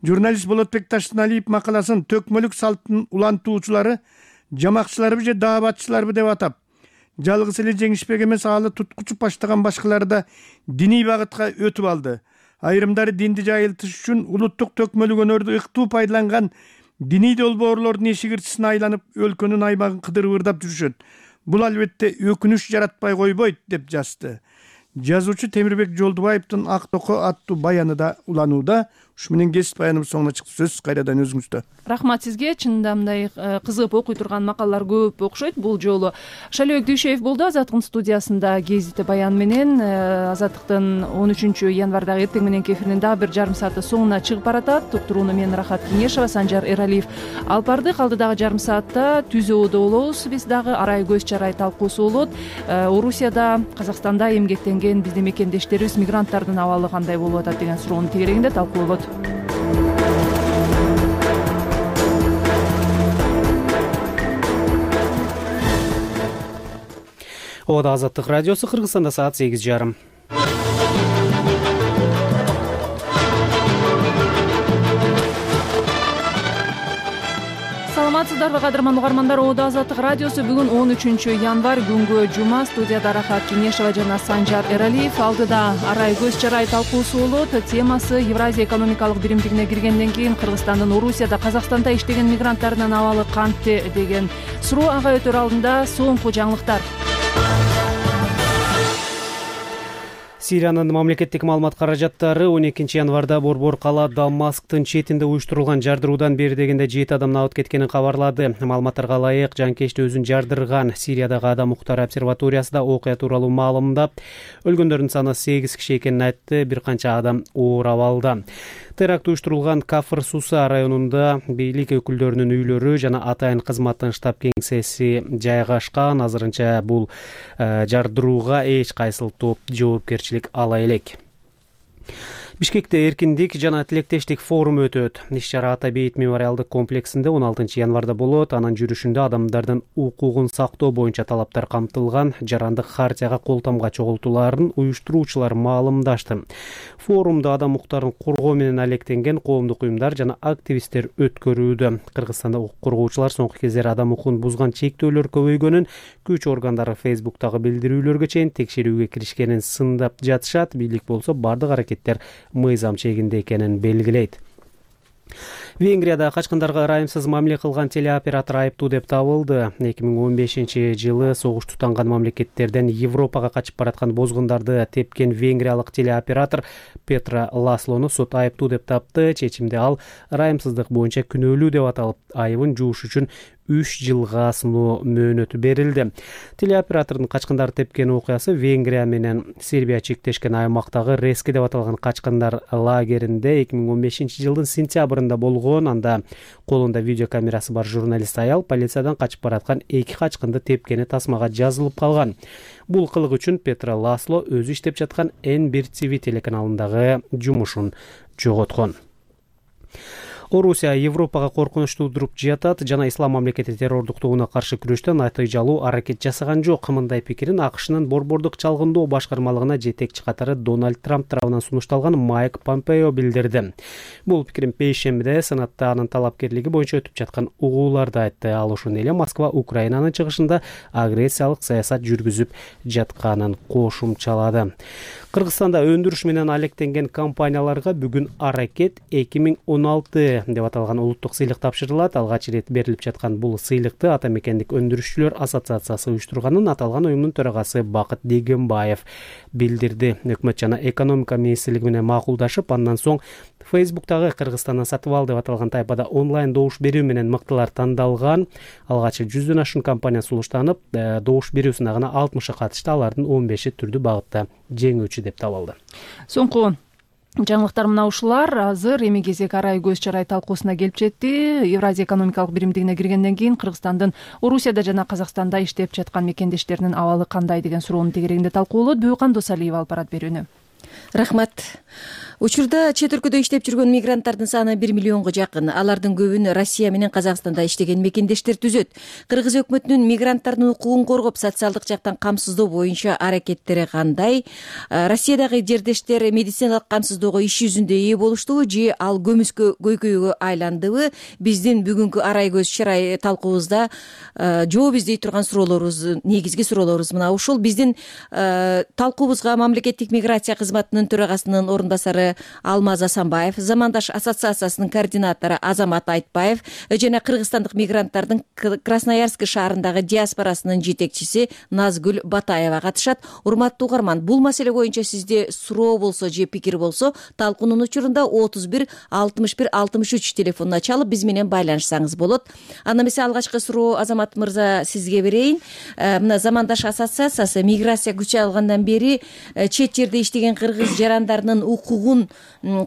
Журналист Болотбек Таштыналиев макаласын төкмөлүк салттын улантуучулары жамакчыларбы же даабатчыларбы деп атап, жалгыз эле жеңишбек эмес, алы туткучуп баштаган башкалары да диний багытка өтүп алды. Айрымдары динди жайылтыш үчүн улуттук төкмөлүк өнөрдү ыктуу пайдаланган диний долбоорлордун эшигирчисине айланып өлкөнүн аймагын кыдырып ырдап жүрүшөт. Бул албетте өкүнүч жаратпай койбойт деп жазды. жазуучу Темирбек Жолдубаевдин Ак токо аттуу баяны да уланууда. Ушу менен кесип баяныбыз соңуна чыкты. Сөз кайрадан өзүңүздө.
Рахмат сизге. Чынында мындай кызыгып окуй турган макалалар көп окшойт. Бул жолу Шалебек Дүйшеев болду Азаттыктын студиясында гезити баян менен. Азаттыктын он үчүнчү январдагы эртең мененки эфиринин дагы бир жарым сааты соңуна чыгып баратат. Уктурууну мен Рахат Кеңешова, Санжар Эралиев алып бардык. Алдыдагы жарым саатта Түз өөдө болобуз. Биз дагы арай көз чарай талкуусу болот. Орусияда, Казакстанда эмгектенген биздин мекендештерибиз, мигранттардын абалы кандай болуп атат деген суроонун тегерегинде талкууланот.
Ода Азаттык радиосу, Кыргызстанда саат сегиз жарым.
Саламатсыздарбы кадырман угармандар, Ода Азаттык радиосу бүгүн он үчүнчү январь күнгө жума. Студияда Рахат Кеңешова жана Санжар Эралиев. Алдыда арай көз чарай талкуусу болот. Темасы Евразия экономикалык биримдигине киргенден кийин Кыргызстандын Орусияда, Казакстанда иштеген мигранттардын абалы кантте деген суроо. Ага өтөр алдында соңку жаңылыктар.
Сириянын мамлекеттик маалымат каражаттары он экинчи январда Борбор кала Дамасктын четинде уюштурулган жардыруудан бери дегенде жети адам набыт кеткенин кабарлады. Маалыматтарга ылайык, жанкечти өзүн жардырган Сириядагы Адам укуктары обсерваториясында окуя тууралуу маалымдап, өлгөндөрдүн саны сегиз киши экенин айтты. Бир канча адам оор абалда. Теракт уюштурулган Кафыр Суса районунда бийлик өкүлдөрүнүн үйлөрү жана атайын кызматтын штаб кеңсеси жайгашкан. Азырынча бул жардырууга эч кайсыл топ жоопкерчилик ала элек. Бишкекте эркиндик жана тилектештик форуму өтөт. Иш-чара Ата бейит мемориалдык комплексинде он алтынчы январда болот. Анын жүрүшүндө адамдардын укугун сактоо боюнча талаптар камтылган жарандык хартияга кол тамга чогултууларын уюштуруучулар маалымдашты. Форумда адам укуктарын коргоо менен алектенген коомдук уюмдар жана активисттер өткөрүүдө. Кыргызстанда укук коргоочулар соңку кездери адам укугун бузган чектөөлөр көбөйгөнүн, күч органдары Фейсбуктагы билдирүүлөргө чейин текшерүүгө киришкенин сындап жатышат. Бийлик болсо бардык аракеттер мыйзам чегинде экенин белгилейт. Венгрияда качкындарга ырайымсыз мамиле кылган телеоператор айыптуу деп табылды. эки миң он бешинчи жылы согуш тутанган мамлекеттерден Европага качып бараткан бозгундарды тепкен венгриялык телеоператор Петра Ласлону сот айыптуу деп тапты. Чечимде ал ырайымсыздык боюнча күнөөлүү деп аталып, айыбын жууш үчүн үч жылга сыноо мөөнөтү берилди. Телеоператордун качкындар тепкен окуясы Венгрия менен Сербия чектешкен аймактагы Рески деп аталган качкындар лагеринде эки миң он бешинчи жылдын сентябрында болгон. Анда колунда видеокамерасы бар журналист аял полициядан качып бараткан эки качкынды тепкени тасмага жазылып калган. Бул кылык үчүн Петра Ласло өзү иштеп жаткан Эн бир ти ви телеканалындагы жумушун жоготкон. Орусия Европага коркунуч туудуруп жатат жана ислам мамлекети террордуктугуна каршы күрөштө натыйжалуу аракет жасаган жок. Мындай пикирин АКШнын борбордук чалгындоо башкармалыгына жетекчи катары Дональд Трамп тарабынан сунушталган Майк Помпео билдирди. Бул пикирин бейшембиде Сенатта анын талапкерлиги боюнча өтүп жаткан угууларда айтты. Ал ушуну эле Москва Украинанын чыгышында агрессиялык саясат жүргүзүп жатканын кошумчалады. Кыргызстанда өндүрүш менен алектенген компанияларга бүгүн аракет эки миң он алты деп аталган улуттук сыйлык тапшырылат. Алгач ирет берилип жаткан бул сыйлыкты Ата мекендик өндүрүшчүлөр ассоциациясы уюштурганын аталган уюмдун төрагасы Бакыт Дегенбаев билдирди. Өкмөт жана экономика министрлиги менен макулдашып, андан соң Фейсбуктагы Кыргызстандан сатып ал деп аталган тайпада онлайн добуш берүү менен мыктылар тандалган. Алгач жүздөн ашуун компания сулуштанып, добуш берүү сынагына алтымышка катышты. Алардын он беши түрдүү багытта жеңүүчү деп табылды.
Соңку жаңылыктар мына ушулар. Азыр эми кезек арай көз чарай талкуусуна келип жетти. Евразия экономикалык биримдигине киргенден кийин Кыргызстандын Орусияда жана Казакстанда иштеп жаткан мекендештеринин абалы кандай деген суроонун тегерегинде талкуулот. Бүйкан Досалиева алып барат берүүнү.
Рахмат. Учурда чет өлкөдө иштеп жүргөн мигранттардын саны бир миллионго жакын. Алардын көбүн Россия менен Казакстанда иштеген мекендештер түзөт. Кыргыз өкмөтүнүн мигранттардын укугун коргоп, социалдык жактан камсыздоо боюнча аракеттери кандай? Россиядагы жердештер медициналык камсыздоого иш жүзүндө ээ болуштубу же ал көмүскө көйкөйгө айландыбы? Биздин бүгүнкү арай көз чарай талкуубузда жооп издей турган суроолорубуз, негизги суроолорубуз мына ушул. Биздин талкуубузга мамлекеттик миграция кызматынын төрагасынын орун басары директору Алмаз Асанбаев, Замандаш ассоциациясынын координатору Азамат Айтбаев жана кыргызстандык мигранттардын Красноярск шаарындагы диаспорасынын жетекчиси Назгүл Батаева катышат. Урматтуу угарман, бул маселе боюнча сизде суроо болсо же пикир болсо талкуунун учурунда отуз бир алтымыш бир алтымыш үч телефонуна чалып биз менен байланышсаңыз болот. Анда эмесе алгачкы суроо Азамат мырза сизге берейин. Мына Замандаш ассоциациясы миграция күчө алгандан бери чет жерде иштеген кыргыз жарандарынын укугун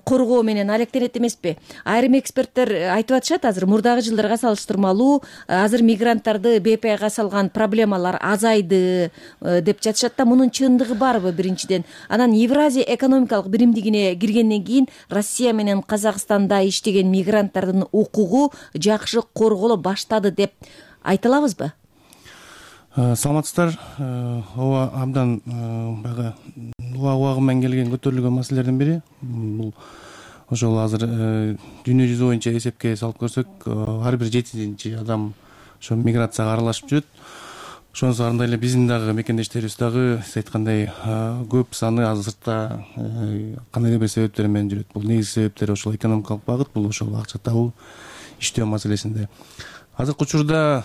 коргоо менен алектенет эмеспи? Айрым эксперттер айтып атышат, азыр мурдагы жылдарга салыштырмалуу азыр мигранттарды БПга салган проблемалар азайды деп жатышат да, мунун чындыгы барбы биринчиден? Анан Евразия экономикалык биримдигине киргенден кийин Россия менен Казакстанда иштеген мигранттардын укугу жакшы корголо баштады деп айта алабызбы?
Саламатсыздар. Ооба, абдан баягы убагы менен келген көтөрүлгөн маселелердин бири. Бул ошол азыр дүйнө жүзү боюнча эсепке салып көрсөк, ар бир жетинчи адам ошо миграцияга аралашып жүрөт. Ошонусу андай эле биздин дагы мекендештерибиз дагы сиз айткандай көп саны азыр сыртта кандайдыр бир себептер менен жүрөт. Бул негизги себептери ошол экономикалык багыт, бул ошол акча табуу, иштөө маселесинде. Азыркы учурда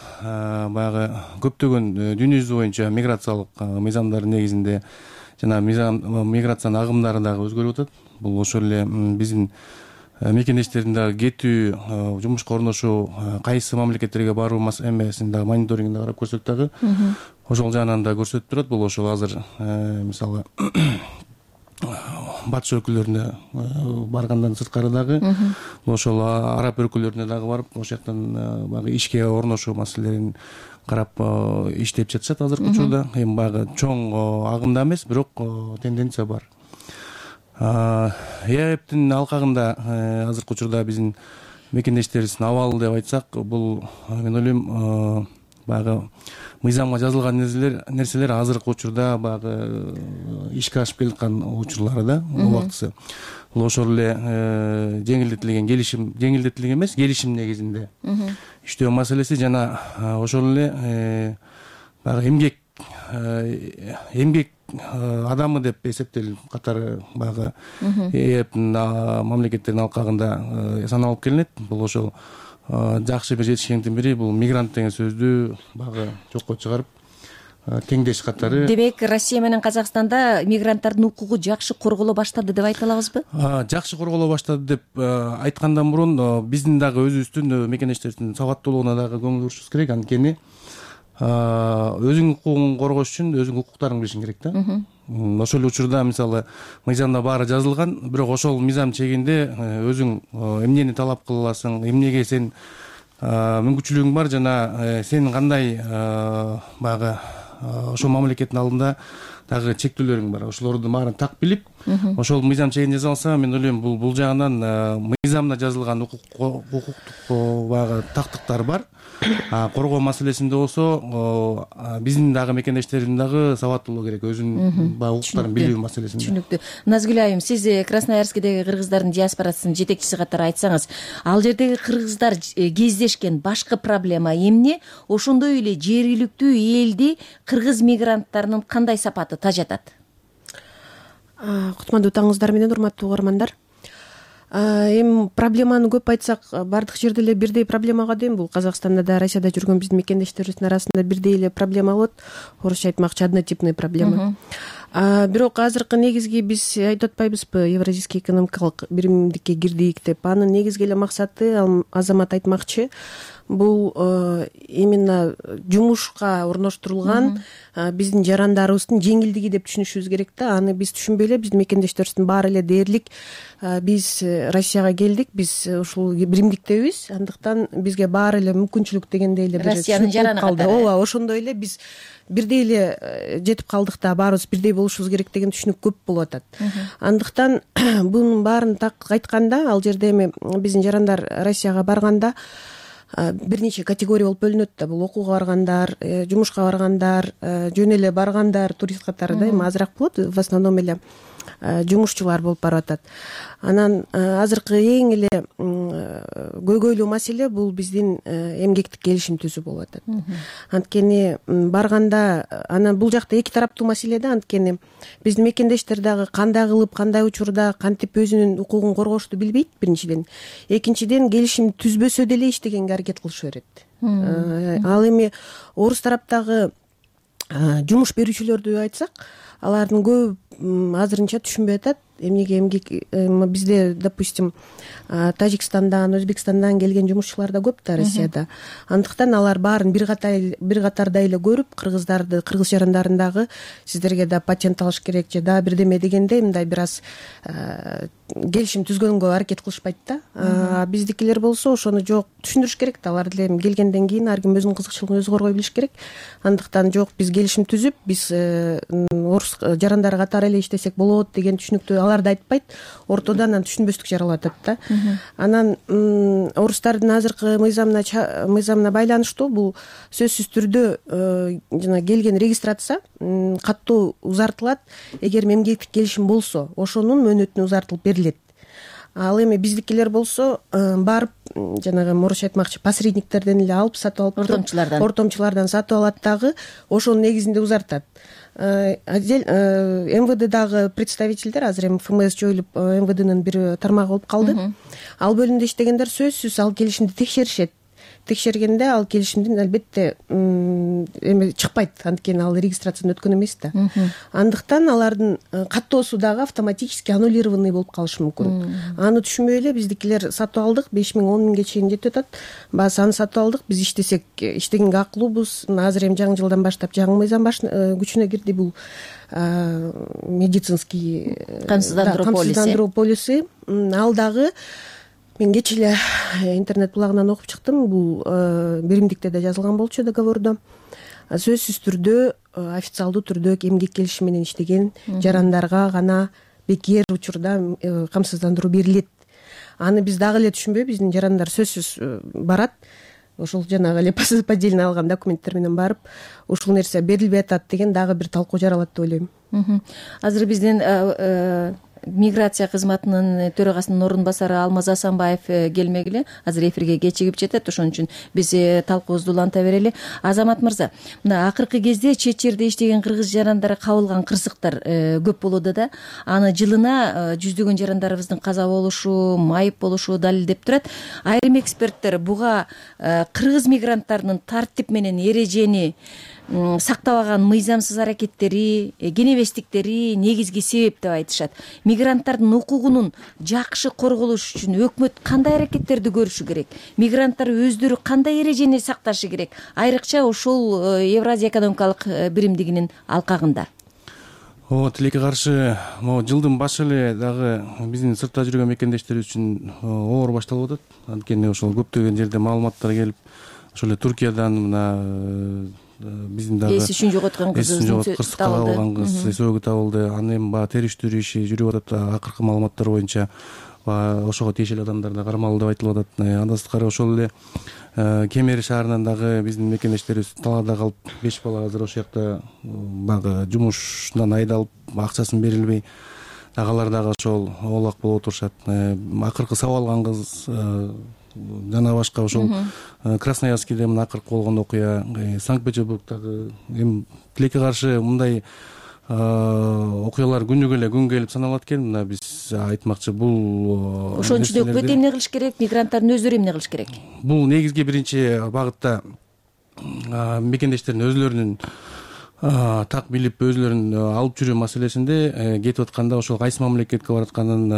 баягы көптөгөн дүйнө жүзү боюнча миграциялык мыйзамдардын негизинде жана миграциянын агымдары дагы өзгөрүп атат. Бул ошол эле биздин мекендештердин дагы кетүү, жумушка орношуу, кайсы мамлекеттерге баруу эмесин дагы мониторингин карап көрсөк дагы ошол жагынан да көрсөтүп турат. Бул ошол азыр мисалы батыш өлкөлөрүнө баргандан сырткары дагы ошол араб өлкөлөрүнө дагы барып, ошол жактан баягы ишке орношуу маселелерин карап иштеп жатышат азыркы учурда. Эми баягы чоң агымда эмес, бирок тенденция бар. ЕАЭПтин алкагында азыркы учурда биздин мекендештерибиздин абалы деп айтсак, бул мен ойлойм баягы мыйзамга жазылган нерселер азыркы учурда баягы ишке ашып келаткан учурлары да, убактысы. Бул ошол эле жеңилдетилген келишим, жеңилдетилген эмес, келишим негизинде иштөө маселеси жана ошол эле баягы эмгек эмгек адамы деп эсептелип катары баягы ЕАЭПтин мамлекеттердин алкагында саналып келинет. Бул ошол жакшы бир жетишкендиктин бири, бул мигрант деген сөздү баягы жокко чыгарып теңдеш катары.
Демек, Россия менен Казакстанда мигранттардын укугу жакшы корголо баштады деп айта алабызбы?
Жакшы корголо баштады деп айткандан мурун биздин дагы өзүбүздүн мекендештерибиздин сабаттуулугуна дагы көңүл бурушубуз керек. Анткени өзүң укугуң коргош үчүн өзүң укуктарыңды билишиң керек да. Ошол эле учурда мисалы мыйзамда баары жазылган, бирок ошол мыйзам чегинде өзүң эмнени талап кыла аласың, эмнеге сен мүмкүнчүлүгүң бар жана сен кандай баягы ошол мамлекеттин алдында дагы чектөөлөрүң бар. Ошолорду баарын так билип, ошол мыйзам чегинде жазылса, мен ойлойм бул бул жагынан мыйзамда жазылган укуктук баягы тактыктар бар. Коргоо маселесинде болсо биздин дагы мекендештерибиздин дагы сабаттуулугу керек, өзүнүн баягы укуктарын билүү маселесинде.
Түшүнүктүү. Назгүл айым, сиз Красноярскдеги кыргыздардын диаспорасынын жетекчиси катары айтсаңыз, ал жердеги кыргыздар кездешкен башкы проблема эмне? Ошондой эле жергиликтүү элди кыргыз мигранттарынын кандай сапаты тажатат?
Кутмандуу таңыңыздар менен, урматтуу угармандар. Эми проблеманы көп айтсак, бардык жерде эле бирдей проблемага дейм. Бул Казакстанда да, Россияда жүргөн биздин мекендештерибиздин арасында бирдей эле проблема болот. Орусча айтмакчы, однотипный проблема. Бирок азыркы негизги биз айтып атпайбызбы, Евразийский экономикалык биримдикке кирдик деп. Анын негизги эле максаты, Азамат айтмакчы, бул именно жумушка орноштурулган биздин жарандарыбыздын жеңилдиги деп түшүнүшүбүз керек да. Аны биз түшүнбөй эле биздин мекендештерибиздин баары эле дээрлик биз Россияга келдик, биз ушул биримдиктебиз, андыктан бизге баары эле мүмкүнчүлүк дегендей эле
Россиянын жараны катары.
Ооба, ошондой эле биз бирдей эле жетип калдык да, баарыбыз бирдей болушубуз керек деген түшүнүк көп болуп атат. Андыктан бунун баарын так айтканда, ал жерде эми биздин жарандар Россияга барганда бир нече категория болуп бөлүнөт да. Бул окууга баргандар, жумушка баргандар, жөн эле баргандар, турист катары да, эми азыраак болот. В основном эле жумушчулар болуп барып атат. Анан азыркы эң эле көйгөйлүү маселе бул биздин эмгектик келишим түзүү болуп атат. Анткени барганда анан бул жакта эки тараптуу маселе да, анткени биздин мекендештер дагы кандай кылып кандай учурда кантип өзүнүн укугун коргошту билбейт биринчиден. Экинчиден келишим түзбөсө деле иштегенге аракет кылыша берет. Ал эми орус тараптагы жумуш берүүчүлөрдү айтсак, алардын көп азырынча түшүнбөй атат. Эмнеге эмгек бизде, допустим, Тажикстандан, Өзбекстандан келген жумушчулар да көп да Россияда. Андыктан алар баарын бир катар бир катарда эле көрүп, кыргыздарды, кыргыз жарандардагы сиздерге да патент алыш керек же да бирдеме дегенде мындай бир аз келишим түзгөнгө аракет кылышпайт да. Биздикилер болсо ошону жок түшүндүрүш керек да. Алар деле келгенден кийин ар ким өзүнүн кызыкчылыгын өзү коргой билиш керек. Андыктан жок, биз келишим түзүп, биз орус жарандары катары эле иштесек болот деген түшүнүктү алар да айтпайт. Ортодо анан түшүнбөстүк жаралып атат да. Анан орустардын азыркы мыйзамына мыйзамына байланыштуу бул сөзсүз түрдө жана келген регистрация каттуу узартылат. Эгер эмгектик келишим болсо, ошонун мөөнөтүнө узартылып берилет. Ал эми биздикилер болсо барып жанагы морочо айтмакчы посредниктерден эле алып сатып алып, ортомчулардан ортомчулардан сатып алат дагы ошонун негизинде узартат. МВДдагы представительдер азыр эми ФМС жоюлуп МВДнын бир тармагы болуп калды. Ал бөлүмдө иштегендер сөзсүз ал келишимди текшеришет. Текшергенде ал келишимдин албетте эми чыкпайт, анткени ал регистрациядан өткөн эмес да. Андыктан алардын каттоосу дагы автоматически аннулированный болуп калышы мүмкүн. Аны түшүнбөй эле биздикилер сатып алдык, беш миң он миңге чейин жетип атат. Баасы аны сатып алдык, биз иштесек иштегенге акылуубуз. Азыр эми жаңы жылдан баштап жаңы мыйзам күчүнө кирди, бул медицинский камсыздандыруу полиси. Ал дагы мен кечээ эле интернет булагынан окуп чыктым. Бул биримдикте да жазылган болчу договордо. Сөзсүз түрдө официалдуу түрдө эмгек келишими менен иштеген жарандарга гана бекер учурда камсыздандыруу берилет. Аны биз дагы эле түшүнбөй, биздин жарандар сөзсүз барат. Ошол жанагы эле поддельно алган документтер менен барып, ушул нерсе берилбей атат деген дагы бир талкуу жаралат деп ойлойм.
Азыр биздин миграция кызматынын төрагасынын орун басары Алмаз Асанбаев келмегиле, азыр эфирге кечигип жетет, ошон үчүн биз талкуубузду уланта берели. Азамат мырза, мына акыркы кезде чет жерде иштеген кыргыз жарандары кабылган кырсыктар көп болууда да. Аны жылына жүздөгөн жарандарыбыздын каза болушу, майып болушу далилдеп турат. Айрым эксперттер буга кыргыз мигранттарынын тартип менен эрежени сактабаган мыйзамсыз аракеттери, кенебестиктери негизги себеп деп айтышат. Мигранттардын укугунун жакшы корголуш үчүн өкмөт кандай аракеттерди көрүшү керек? Мигранттар өздөрү кандай эрежени сакташы керек? Айрыкча ошол Евразия экономикалык биримдигинин алкагында.
Ооба, тилекке каршы, могу жылдын башы эле дагы биздин сыртта жүргөн мекендештерибиз үчүн оор башталып атат. Анткени ошол көптөгөн жерде маалыматтар келип, ошол эле Туркиядан мына биздин дагы
эс үчүн жоготкон кызыбыздын
кырсыкка кабылган кыз эсөөгө табылды. Аны эми баягы териштирүү иши жүрүп атат. Акыркы маалыматтар боюнча ошого тиешелүү адамдар да кармалды деп айтылып атат. Андан сырткары ошол эле Кемери шаарынан дагы биздин мекендештерибиз талаада калып, беш бала азыр ошол жакта баягы жумушунан айдалып, акчасын берилбей дагы алар дагы ошол оолак болуп отурушат. Акыркы сабап алган кыз жана башка ошол Красноярскийде мына акыркы болгон окуя, Санкт-Петербургдагы эми тилекке каршы мындай окуялар күнүгө эле күн келип саналат экен. Мына биз айтмакчы, бул
ошон үчүн өкмөт эмне кылыш керек, мигранттардын өздөрү эмне кылыш керек?
Бул негизги биринчи багытта мекендештердин өзлөрүнүн так билип, өзлөрүн алып жүрүү маселесинде кетип атканда ошол кайсы мамлекетке баратканын,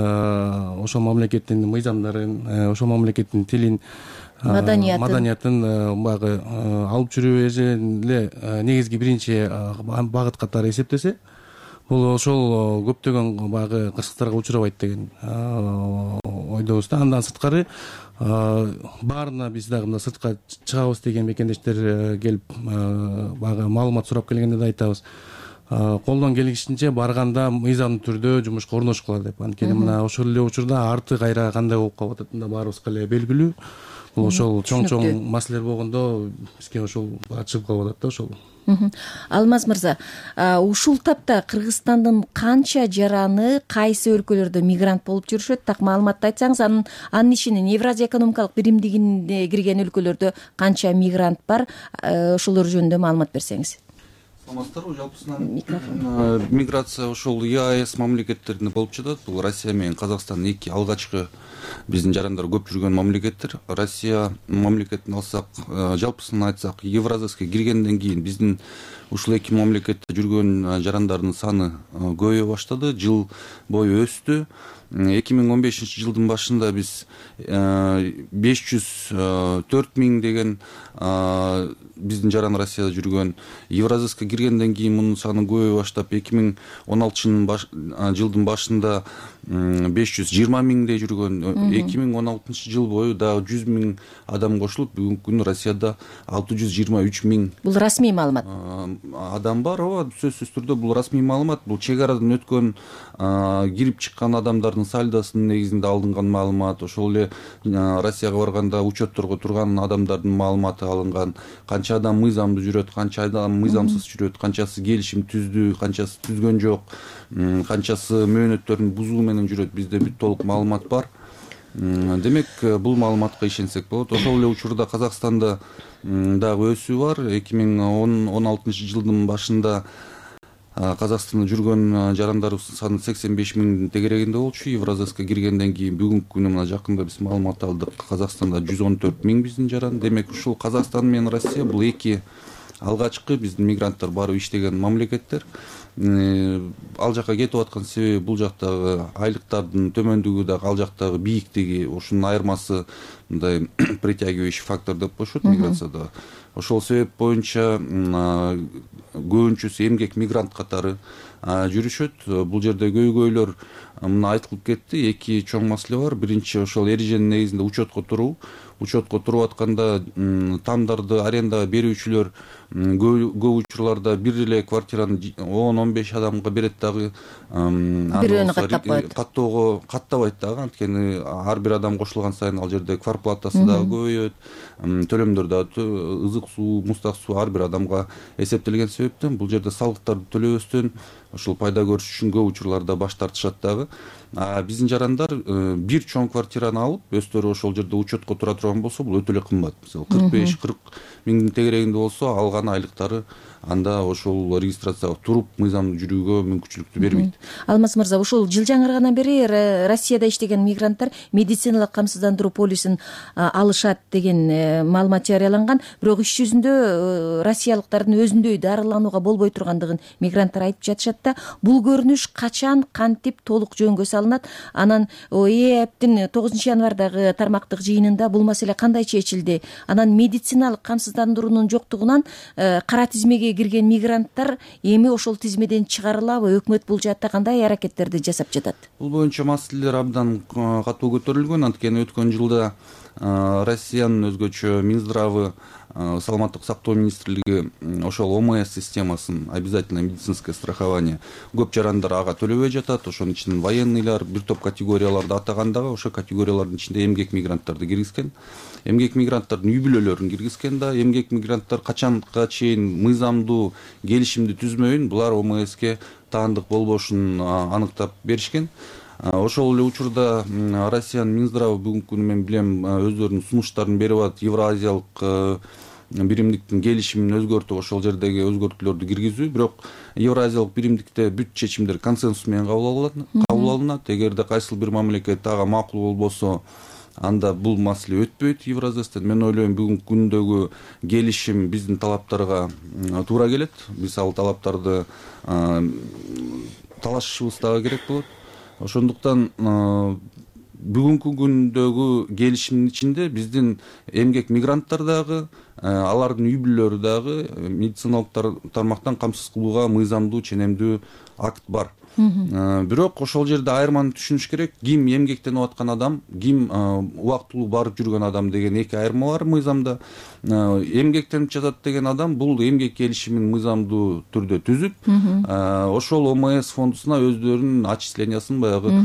ошол мамлекеттин мыйзамдарын, ошол мамлекеттин тилин, маданиятын баягы алып жүрүү эле негизги биринчи багыт катары эсептесе, бул ошол көптөгөн баягы кырсыктарга учурабайт деген ойдобуз да. Андан сырткары баарына биз дагы мына сыртка чыгабыз деген мекендештер келип баягы маалымат сурап келгенде да айтабыз, колдон келишинче барганда мыйзамдуу түрдө жумушка орношкула деп. Анткени мына ошол эле учурда арты кайра кандай болуп калып атат да баарыбызга эле белгилүү. Бул ошол чоң чоң маселелер болгондо бизге ошол чыгып калып атат да ошол.
Алмаз мырза, ушул тапта Кыргызстандын канча жараны кайсы өлкөлөрдө мигрант болуп жүрүшөт? Так маалыматты айтсаңыз, анын анын ичинен Евразия экономикалык биримдигине кирген өлкөлөрдө канча мигрант бар? Ошолор жөнүндө маалымат берсеңиз.
Саламатсыздарбы? Жалпысынан миграция ошол ЕАЭС мамлекеттеринде болуп жатат. Бул Россия менен Казакстан эки алгачкы биздин жарандар көп жүргөн мамлекеттер. Россия мамлекетин алсак, жалпысынан айтсак, Евразияга киргенден кийин биздин ушул эки мамлекетте жүргөн жарандардын саны көбөйө баштады, жыл бою өстү. эки миң он бешинчи жылдын башында биз беш жүз төрт миң деген биздин жаран Россияда жүргөн. Евразияга киргенден кийин мунун саны көбөйө баштап, эки миң он алтынчы жылдын башында беш жүз жыйырма миңдей жүргөн. эки миң он алтынчы жыл бою дагы жүз миң адам кошулуп, бүгүнкү күндө Россияда алты жүз жыйырма үч миң.
Бул расмий маалымат.
Адам бар, ооба, сөзсүз түрдө бул расмий маалымат. Бул чек арадан өткөн, кирип чыккан адамдардын сальдосунун негизинде алынган маалымат. Ошол эле Россияга барганда учетторго турган адамдардын маалыматы алынган. Канча адам мыйзамдуу жүрөт, канча адам мыйзамсыз жүрөт, канчасы келишим түздү, канчасы түзгөн жок, канчасы мөөнөттөрүн бузуу менен жүрөт, бизде бүт толук маалымат бар. Демек, бул маалыматка ишенсек болот. Ошол эле учурда Казакстанда дагы өсүү бар. эки миң он алтынчы жылдын башында Казакстанда жүргөн жарандарыбыздын саны сексен беш миңдин тегерегинде болчу. Евразияга киргенден кийин бүгүнкү күнү мына жакында биз маалымат алдык. Казакстанда жүз он төрт миң биздин жаран. Демек, ушул Казакстан менен Россия бул эки алгачкы биздин мигранттар барып иштеген мамлекеттер. Ал жака кетип аткан себеби бул жактагы айлыктардын төмөндүгү дагы, ал жактагы бийиктиги, ошонун айырмасы мындай притягивающий фактор деп коюшат миграцияда. Ошол себеп боюнча көбүнчөсү эмгек мигрант катары жүрүшөт. Бул жерде көйгөйлөр мына айтылып кетти. Эки чоң маселе бар. Биринчи, ошол эреженин негизинде учетко туруу. Учетко туруп атканда тамдарды арендага берүүчүлөр көп учурларда бир эле квартираны он он беш адамга берет дагы.
Бирөөнү каттап коет.
Каттоого каттабайт дагы, анткени ар бир адам кошулган сайын ал жерде квартплатасы дагы көбөйөт, төлөмдөр дагы ызык суу, муздак суу ар бир адамга эсептелген себептен бул жерде салыктарды төлөбөстөн ошол пайда көрүш үчүн көп учурларда баш тартышат дагы. Биздин жарандар бир чоң квартираны алып, өздөрү ошол жерде учетко тура турган болсо, бул өтө эле кымбат. Мисалы кырк беш кырк миңдин тегерегинде болсо, алган айлыктары анда ошол регистрацияга туруп мыйзамдуу жүрүүгө мүмкүнчүлүктү бербейт.
Алмаз мырза, ушул жыл жаңыргандан бери Россияда иштеген мигранттар медициналык камсыздандыруу полисин алышат деген маалымат жарыяланган. Бирок иш жүзүндө россиялыктардын өзүндөй дарыланууга болбой тургандыгын мигранттар айтып жатышат да. Бул көрүнүш качан, кантип толук жөнгө салынат? Анан ЭЭПтин тогузунчу январдагы тармактык жыйынында бул маселе кандай чечилди? Анан медициналык камсыздандыруунун жоктугунан кара тизмеге кирген мигранттар эми ошол тизмеден чыгарылабы? Өкмөт бул жаатта кандай аракеттерди жасап жатат?
Бул боюнча маселелер абдан катуу көтөрүлгөн. Анткени өткөн жылда Россиянын өзгөчө Минздравы, саламаттык сактоо министрлиги ошол ОМС системасын, обязательное медицинское страхование, көп жарандар ага төлөбөй жатат. Ошонун ичинен военныйлар, бир топ категорияларды атагандагы, ошол категориялардын ичинде эмгек мигранттарды киргизген. Эмгек мигранттардын үй бүлөлөрүн киргизген да. Эмгек мигранттар качанга чейин мыйзамдуу келишимди түзмөйүн, булар ОМСке таандык болбошун аныктап беришкен. Ошол эле учурда Россиянын Минздравы бүгүнкү күнү мен билем өздөрүнүн сунуштарын берип атат. Евразиялык биримдиктин келишимин өзгөртүп, ошол жердеги өзгөртүүлөрдү киргизүү. Бирок Евразиялык биримдикте бүт чечимдер консенсус менен кабыл алынат. Эгерде кайсыл бир мамлекет ага макул болбосо, анда бул маселе өтпөйт Евразиядан. Мен ойлойм, бүгүнкү күндөгү келишим биздин талаптарга туура келет. Биз ал талаптарды талашышыбыз дагы керек болот. Ошондуктан бүгүнкү күндөгү келишимдин ичинде биздин эмгек мигранттар дагы, алардын үй бүлөлөрү дагы медициналык тармактан камсыз кылууга мыйзамдуу ченемдүү акт бар. Бирок ошол жерде айырманы түшүнүш керек. Ким эмгектенип аткан адам, ким убактылуу барып жүргөн адам деген эки айырма бар мыйзамда. Эмгектенип жатат деген адам бул эмгек келишимин мыйзамдуу түрдө түзүп, ошол ОМС фондусуна өздөрүнүн отчислениясын, баягы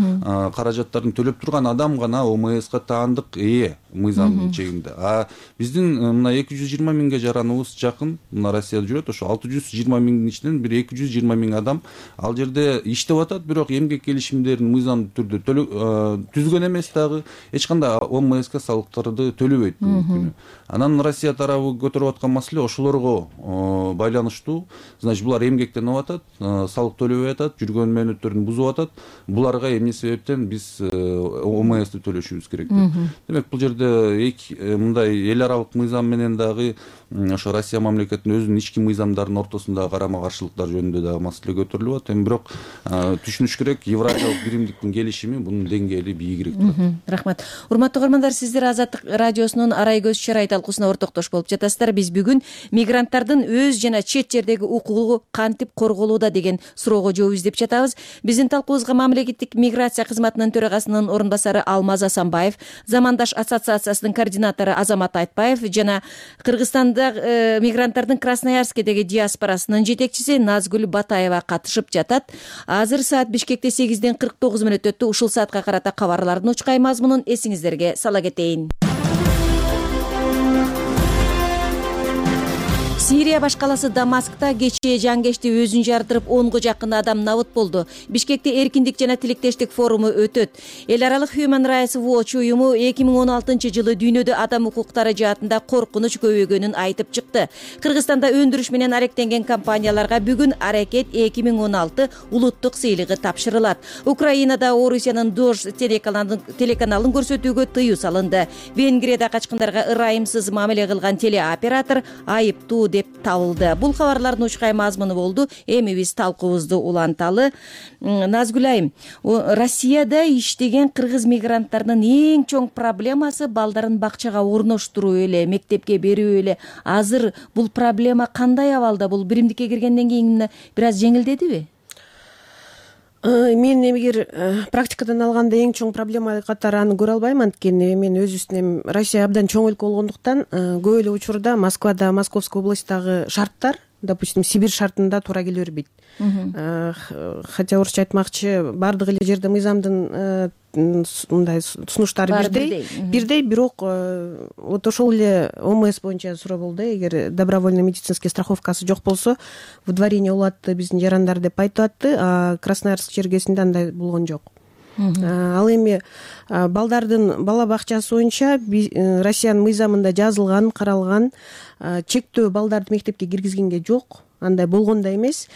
каражаттарын төлөп турган адам гана ОМСка таандык ээ. мыйзамдын чегинде. А биздин мына эки жүз жыйырма миңге жараныбыз жакын мына Россияда жүрөт. Ошо алты жүз жыйырма миңдин ичинен бир эки жүз жыйырма миң адам ал жерде иштеп атат, бирок эмгек келишимдерин мыйзамдуу түрдө түзгөн эмес дагы, эч кандай О М Ск салыктарды төлөбөйт бүгүнкү күнү. Анан Россия тарабы көтөрүп аткан маселе ошолорго байланыштуу. Значит, булар эмгектенип атат, салык төлөбөй атат, жүргөн мөөнөттөрүн бузуп атат. Буларга эмне себептен биз О М Сты төлөшүбүз керек деп. Демек, бул жерде мындай эл аралык мыйзам менен дагы ошо Россия мамлекетинин өзүнүн ички мыйзамдарынын ортосундагы карама каршылыктар жөнүндө дагы маселе көтөрүлүп атат. Эми бирок түшүнүш керек, Евразиялык биримдиктин келишими бунун деңгээли бийигирээк турат.
Рахмат. Урматтуу угармандар, сиздер Азаттык радиосунун Арай көз чарай талкуусуна ортоктош болуп жатасыздар. Биз бүгүн мигранттардын өз жана чет жердеги укугу кантип корголууда деген суроого жооп издеп жатабыз. Биздин талкуубузга мамлекеттик миграция кызматынын төрагасынын орун басары Алмаз Асанбаев, Замандаш ассоциациясынын координатору Азамат Айтбаев жана Кыргызстанда мигранттардын Красноярскедеги диаспорасынын жетекчиси Назгүл Батаева катышып жатат. Азыр саат Бишкекте сегизден кырк тогуз мүнөт өттү. Ушул саатка карата кабарлардын учкай мазмунун эсиңиздерге сала кетейин. Сирия баш каласы Дамаскта кечээ жангечти өзүн жардырып онго жакын адам набыт болду. Бишкекте эркиндик жана тилектештик форуму өтөт. Эл аралык Human Rights Watch уюму эки миң он алтынчы жылы дүйнөдө адам укуктары жаатында коркунуч көбөйгөнүн айтып чыкты. Кыргызстанда өндүрүш менен аректенген компанияларга бүгүн Аракет эки миң он алты улуттук сыйлыгы тапшырылат. Украинада Орусиянын Дож телеканалын көрсөтүүгө тыюу салынды. Венгрияда качкындарга ырайымсыз мамиле кылган телеоператор айыптуу деп табылды. Бул кабарлардын учкай мазмуну болду. Эми биз талкуубузду уланталы. Назгүл айым, Россияда иштеген кыргыз мигранттарынын эң чоң проблемасы балдарын бакчага орноштуруу эле, мектепке берүү эле. Азыр бул проблема кандай абалда? Бул биримдикке киргенден кийин бир аз жеңилдедиби?
Мен эгер практикадан алганда эң чоң проблема катары аны көрө албайм. Анткени мен өз үстүнөн Россия абдан чоң өлкө болгондуктан көп эле учурда Москвада, Московской областьтагы шарттар, допустим, Сибирь шартында туура келе бербейт. Хотя орусча айтмакчы, баардык эле жерде мыйзамдын мындай сунуштары бирдей, бирдей, бирок вот ошол эле О М С боюнча суроо болду. Эгер добровольный медицинский страховкасы жок болсо, выдворение болот биздин жарандар деп айтып атты, а Красноярск чергесинде андай болгон жок. Ал эми балдардын бала бакчасы боюнча Россиянын мыйзамында жазылган, каралган чектөө балдарды мектепке киргизгенге жок. Андай болгон да эмес.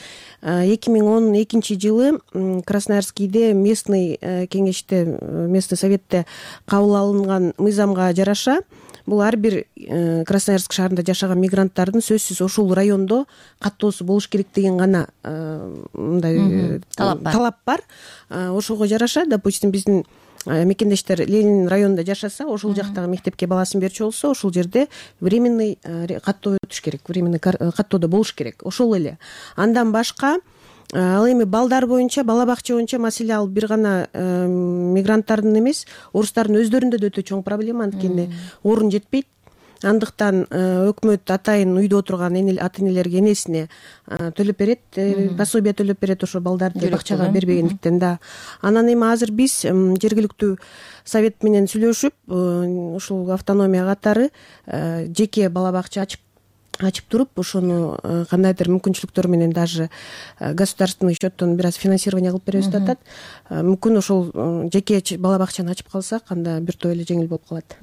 эки миң он экинчи жылы Красноярскийде местный кеңеште, местный советте кабыл алынган мыйзамга жараша бул ар бир Красноярск шаарында жашаган мигранттардын сөзсүз ошол райондо каттоосу болуш керек деген гана мындай талап бар. Ошого жараша, допустим, биздин мекендештер Ленин районунда жашаса, ошол жактагы мектепке баласын берчү болсо, ошол жерде временный каттоо өтүш керек, временный каттоодо болуш керек. Ошол эле. Андан башка ал эми балдар боюнча, бала бакча боюнча маселе ал бир гана мигранттардын эмес, орустардын өздөрүндө да өтө чоң проблема, анткени орун жетпейт. Андыктан өкмөт атайын үйдө отурган ата энелерге, энесине төлөп берет, пособие төлөп берет ошо балдарды бакчага бербегендиктен да. Анан эми азыр биз жергиликтүү совет менен сүйлөшүп, ушул автономия катары жеке бала бакча ачып ачып туруп, ошону кандайдыр мүмкүнчүлүктөр менен даже государственный счеттон бир аз финансирование кылып беребиз деп атат. Мүмкүн ошол жеке бала бакчаны ачып калсак, анда бир топ эле жеңил болуп калат.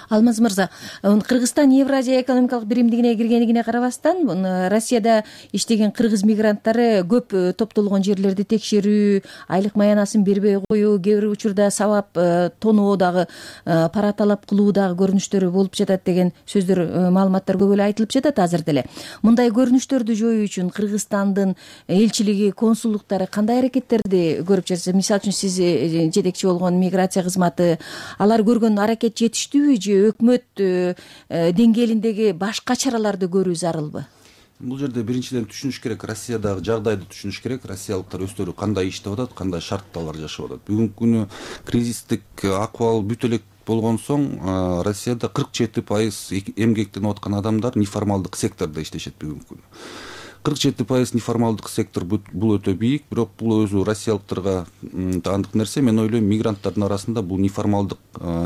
Алмаз мырза, Кыргызстан Евразия экономикалык биримдигине киргендигине карабастан, Россияда иштеген кыргыз мигранттары көп топтолгон жерлерди текшерүү, айлык маянасын бербей коюу, кээ бир учурда сабап тоноо дагы, пара талап кылуу дагы көрүнүштөрү болуп жатат деген сөздөр, маалыматтар көп эле айтылып жатат. Азыр деле мындай көрүнүштөрдү жоюу үчүн Кыргызстандын элчилиги, консулдуктары кандай аракеттерди көрүп жатат? Мисалы үчүн сиз жетекчи болгон миграция кызматы, алар көргөн аракет жетиштүүбү же өкмөт деңгээлиндеги башка чараларды көрүү зарылбы?
Бул жерде биринчиден түшүнүш керек, Россиядагы жагдайды түшүнүш керек. Россиялыктар өздөрү кандай иштеп атат, кандай шартталар жашап атат. Бүгүнкү күнү кризистик акыбал бүт элек болгон соң Россияда кырк жети пайыз эмгектенип аткан адамдар неформалдык сектордо иштешет бүгүнкү күнү. кырк жети пайыз неформалдык сектор бул өтө бийик, бирок бул өзү россиялыктарга таандык нерсе. Мен ойлойм, мигранттардын арасында бул неформалдык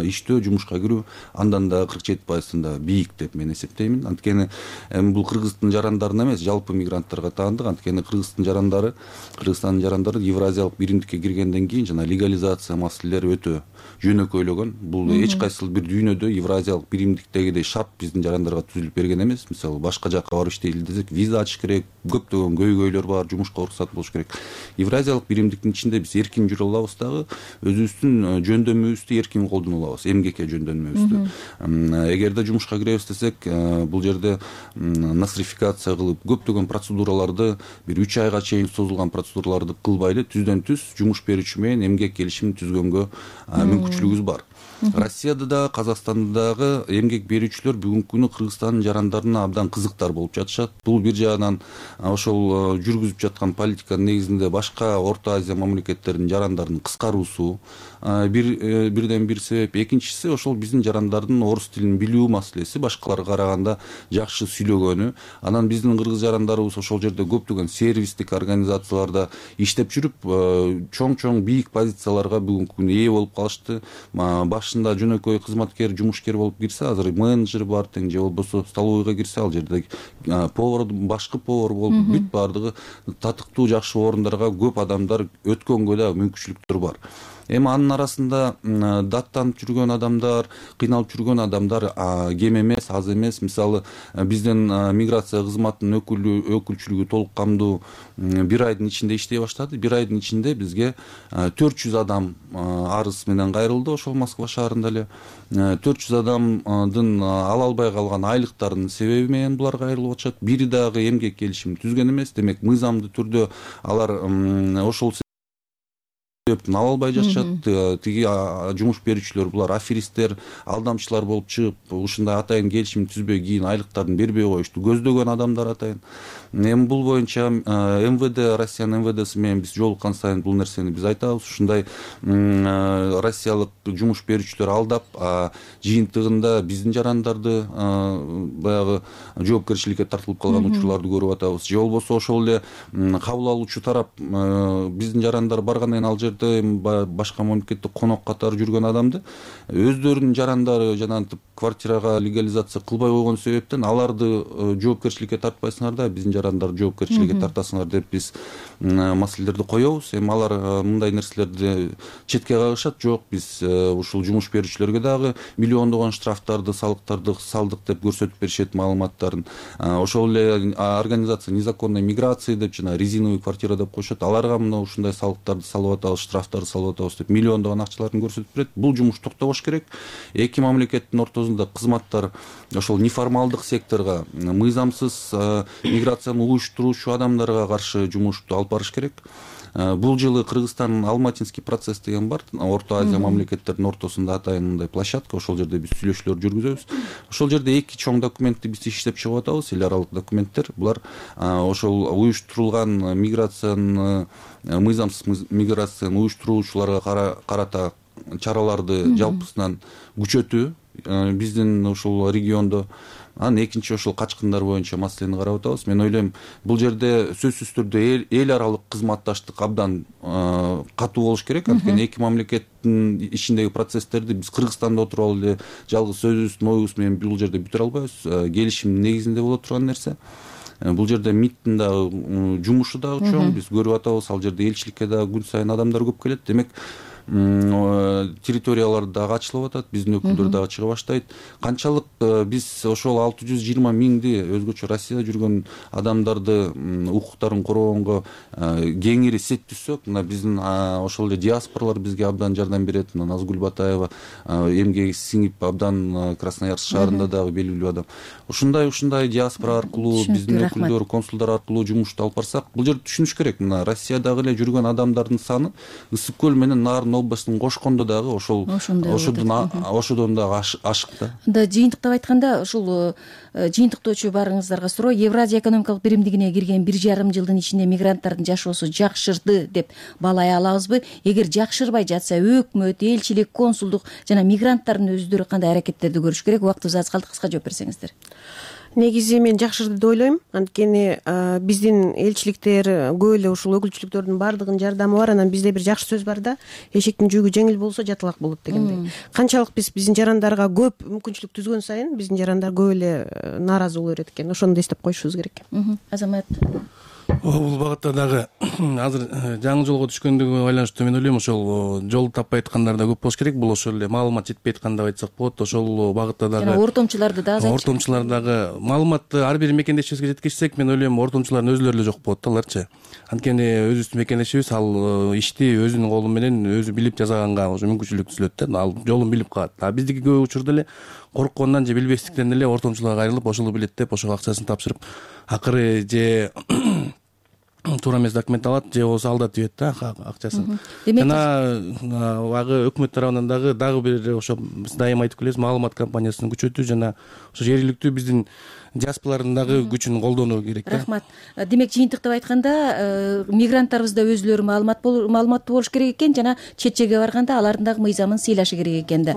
иштөө, жумушка кирүү андан да кырк жети пайызында бийик деп мен эсептеймин. Анткени эми бул кыргыздын жарандарына эмес, жалпы мигранттарга таандык. Анткени кыргыздын жарандары, Кыргызстандын жарандары Евразиялык биримдикке киргенден кийин жана легализация маселелери өтө жөнөкөйлөгөн. Бул эч кайсы бир дүйнөдө Евразиялык биримдиктегидей шарт биздин жарандарга түзүлүп берген эмес. Мисалы, башка жакка барып иштейли десек, виза ачыш керек, көптөгөн көйгөйлөр бар, жумушка уруксат болуш керек. Евразиялык биримдиктин ичинде биз эркин жүрө алабыз дагы, өзүбүздүн жөндөмүбүздү эркин колдоно алабыз, эмгекке жөндөмүбүздү. Эгерде жумушка киребиз десек, бул жерде нострификация кылып, көптөгөн процедураларды, бир үч айга чейин созулган процедураларды кылбайлы, түздөн түз жумуш берүүчү менен эмгек келишимин түзгөнгө мүмкүнчүлүгүбүз бар. Россияда да, Казакстанда дагы эмгек берүүчүлөр бүгүнкү күнү Кыргызстандын жарандарына абдан кызыктар болуп жатышат. Бул бир жагынан ошол жүргүзүп жаткан политиканын негизинде башка Орто Азия мамлекеттеринин жарандарын кыскаруусу бир бирден бир себеп. Экинчиси, ошол биздин жарандардын орус тилин билүү маселеси, башкаларга караганда жакшы сүйлөгөнү. Анан биздин кыргыз жарандарыбыз ошол жерде көптөгөн сервистик организацияларда иштеп жүрүп, чоң-чоң бийик позицияларга бүгүнкү күнү ээ болуп калышты. Башында жөнөкөй кызматкер, жумушкер болуп кирсе, азыр менеджер бар тең, же болбосо столовойго кирсе, ал жерде повар, башкы повар болуп, бүт баардыгы татыктуу, жакшы орундарга көп адамдар өткөнгө да мүмкүнчүлүктөр бар. Эми анын арасында даттанып жүргөн адамдар, кыйналып жүргөн адамдар кем эмес, аз эмес. Мисалы, биздин миграция кызматынын өкүлү өкүлчүлүгү толук камдуу бир айдын ичинде иштей баштады. Бир айдын ичинде бизге төрт жүз адам арыз менен кайрылды, ошол Москва шаарында эле. төрт жүз адамдын ала албай калган айлыктарынын себеби менен булар кайрылып атышат. Бири дагы эмгек келишимин түзгөн эмес. Демек, мыйзамдуу түрдө алар ошол ала албай жатышат. Тиги жумуш берүүчүлөр булар аферисттер, алдамчылар болуп чыгып, ушундай атайын келишим түзбөй кийин айлыктарын бербей коюшту көздөгөн адамдар атайын. Эми бул боюнча МВД, Россиянын МВДси менен биз жолуккан сайын бул нерсени биз айтабыз. Ушундай россиялык жумуш берүүчүлөр алдап, жыйынтыгында биздин жарандарды баягы жоопкерчиликке тартылып калган учурларды көрүп атабыз. Же болбосо ошол эле кабыл алуучу тарап биздин жарандар баргандан кийин ал жерде башка мамлекетте конок катары жүргөн адамды өздөрүнүн жарандары жанагынтип квартирага легализация кылбай койгон себептен аларды жоопкерчиликке тартпайсыңар да, биздин жарандарды жоопкерчиликке тартасыңар деп биз маселелерди коебуз. Эми алар мындай нерселерди четке кагышат. Жок, биз ушул жумуш берүүчүлөргө дагы миллиондогон штрафтарды, салыктарды салдык деп көрсөтүп беришет маалыматтарын. Ошол эле организация незаконной миграции деп жана резиновый квартира деп коюшат. Аларга мына ушундай салыктарды салып атабыз, штрафтарды салып атабыз деп миллиондогон акчаларын көрсөтүп берет. Бул жумуш токтобош керек. Эки мамлекеттин ортосунда кызматтар ошол неформалдык секторго, мыйзамсыз миграцияны уюштуруучу адамдарга каршы жумушту алып барыш керек. Бул жылы Кыргызстандын Алматинский процесс деген бар. Орто Азия мамлекеттеринин ортосунда атайын мындай площадка. Ошол жерде биз сүйлөшүүлөр жүргүзөбүз. Ошол жерде эки чоң документти биз иштеп чыгып атабыз. Эл аралык документтер. Булар ошол уюштурулган миграциянын, мыйзамсыз миграцияны уюштуруучуларга карата чараларды жалпысынан күчөтүү биздин ушул региондо. Анан экинчи ошол качкындар боюнча маселени карап атабыз. Мен ойлойм, бул жерде сөзсүз түрдө эл аралык кызматташтык абдан катуу болуш керек. Анткени эки мамлекеттин ичиндеги процесстерди биз Кыргызстанда отуруп алып эле жалгыз сөзүбүздүн оюбуз менен бул жерде бүтүрө албайбыз. Келишимдин негизинде боло турган нерсе. Бул жерде МИДтин дагы жумушу дагы чоң. Биз көрүп атабыз, ал жерде элчиликке дагы күн сайын адамдар көп келет. Демек, территориялар дагы ачылып атат, биздин өкүлдөр дагы чыга баштайт. Канчалык биз ошол алты жүз жыйырма миңди өзгөчө Россияда жүргөн адамдарды укуктарын коргогонго кеңири сет түзсөк, мына биздин ошол эле диаспоралар бизге абдан жардам берет. Назгүл Батаева эмгеги сиңип абдан Красноярск шаарында дагы белгилүү адам. Ушундай ушундай диаспора аркылуу, биздин өкүлдөр, консулдар аркылуу жумушту алып барсак, бул жерде түшүнүш керек. Мына Россиядагы эле жүргөн адамдардын саны Ысык көл менен Нарын областын кошкондо дагы ошол ошодон ошодон дагы ашык да. Да,
жыйынтыктап айтканда, ушул жыйынтыктоочу баарыңыздарга суроо, Евразия экономикалык биримдигине кирген бир жарым жылдын ичинде мигранттардын жашоосу жакшырды деп баалай алабызбы? Эгер жакшырбай жатса, өкмөт, элчилик, консулдук жана мигранттардын өздөрү кандай аракеттерди көрүш керек? Убактыбыз аз калды, кыска жооп берсеңиздер.
негизи мен жакшы деп ойлойм. Анткени биздин элчиликтер көп эле ушул өкүлчүлүктөрдүн баардыгынын жардамы бар. Анан бизде бир жакшы сөз бар да, эшектин жүгү жеңил болсо жаталак болот дегендей. Канчалык биз биздин жарандарга көп мүмкүнчүлүк түзгөн сайын биздин жарандар көп эле нааразы боло берет экен. Ошону да эстеп коюшубуз керек.
Азамат,
бул багытта дагы азыр жаңы жолго түшкөндүгү байланыштуу мен ойлойм ошол жол таппай аткандар да көп болуш керек. Бул ошол эле маалымат жетпей аткан деп айтсак болот. Ошол багытта дагы
жана ортомчуларды да азайтчы.
Ортомчулар дагы маалыматты ар бир мекендешибизге жеткизсек, мен ойлойм ортомчулардын өзүлөрү эле жок болот да аларчы. Анткени өзүбүздүн мекендешибиз ал ишти өзүнүн колу менен өзү билип жасаганга ошо мүмкүнчүлүк түзүлөт да. Ал жолун билип калат. А биздики көп учурда эле корккондон же билбестиктен эле ортомчуларга кайрылып ошол билет деп ошого акчасын тапшырып, акыры же туура эмес документ алат, же болбосо алдатып ийет да акчасын. Жана багы өкмөт тарабынан дагы дагы бир ошо биз дайыма айтып келебиз, маалымат кампаниясын күчөтүү жана ошо жергиликтүү биздин диаспоралардын дагы күчүн колдонуу керек да.
Рахмат. Демек жыйынтыктап айтканда, мигранттарыбыз да өзүлөрү маалыматтуу болуш керек экен жана чет жерге барганда алардын дагы мыйзамын сыйлашы керек экен да.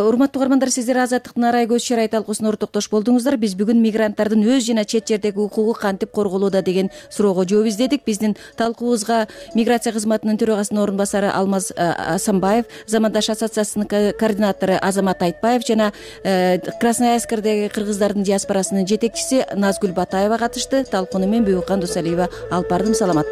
Урматтуу угармандар, сиздер Азаттыктын арай көз чарай талкуусуна ортоктош болдуңуздар. Биз бүгүн мигранттардын өз жана чет жердеги укугу кантип корголууда деген суроого жооп издедик. Биздин талкуубузга миграция кызматынын төрагасынын орун басары Алмаз Асанбаев, Замандаш ассоциациясынын координатору Азамат Айтбаев жана Красноярскдеги кыргыздардын диаспорасынын жетекчиси Назгүл Батаева катышты. Талкууну мен Бүйүкан Досалиева алып бардым. Саламат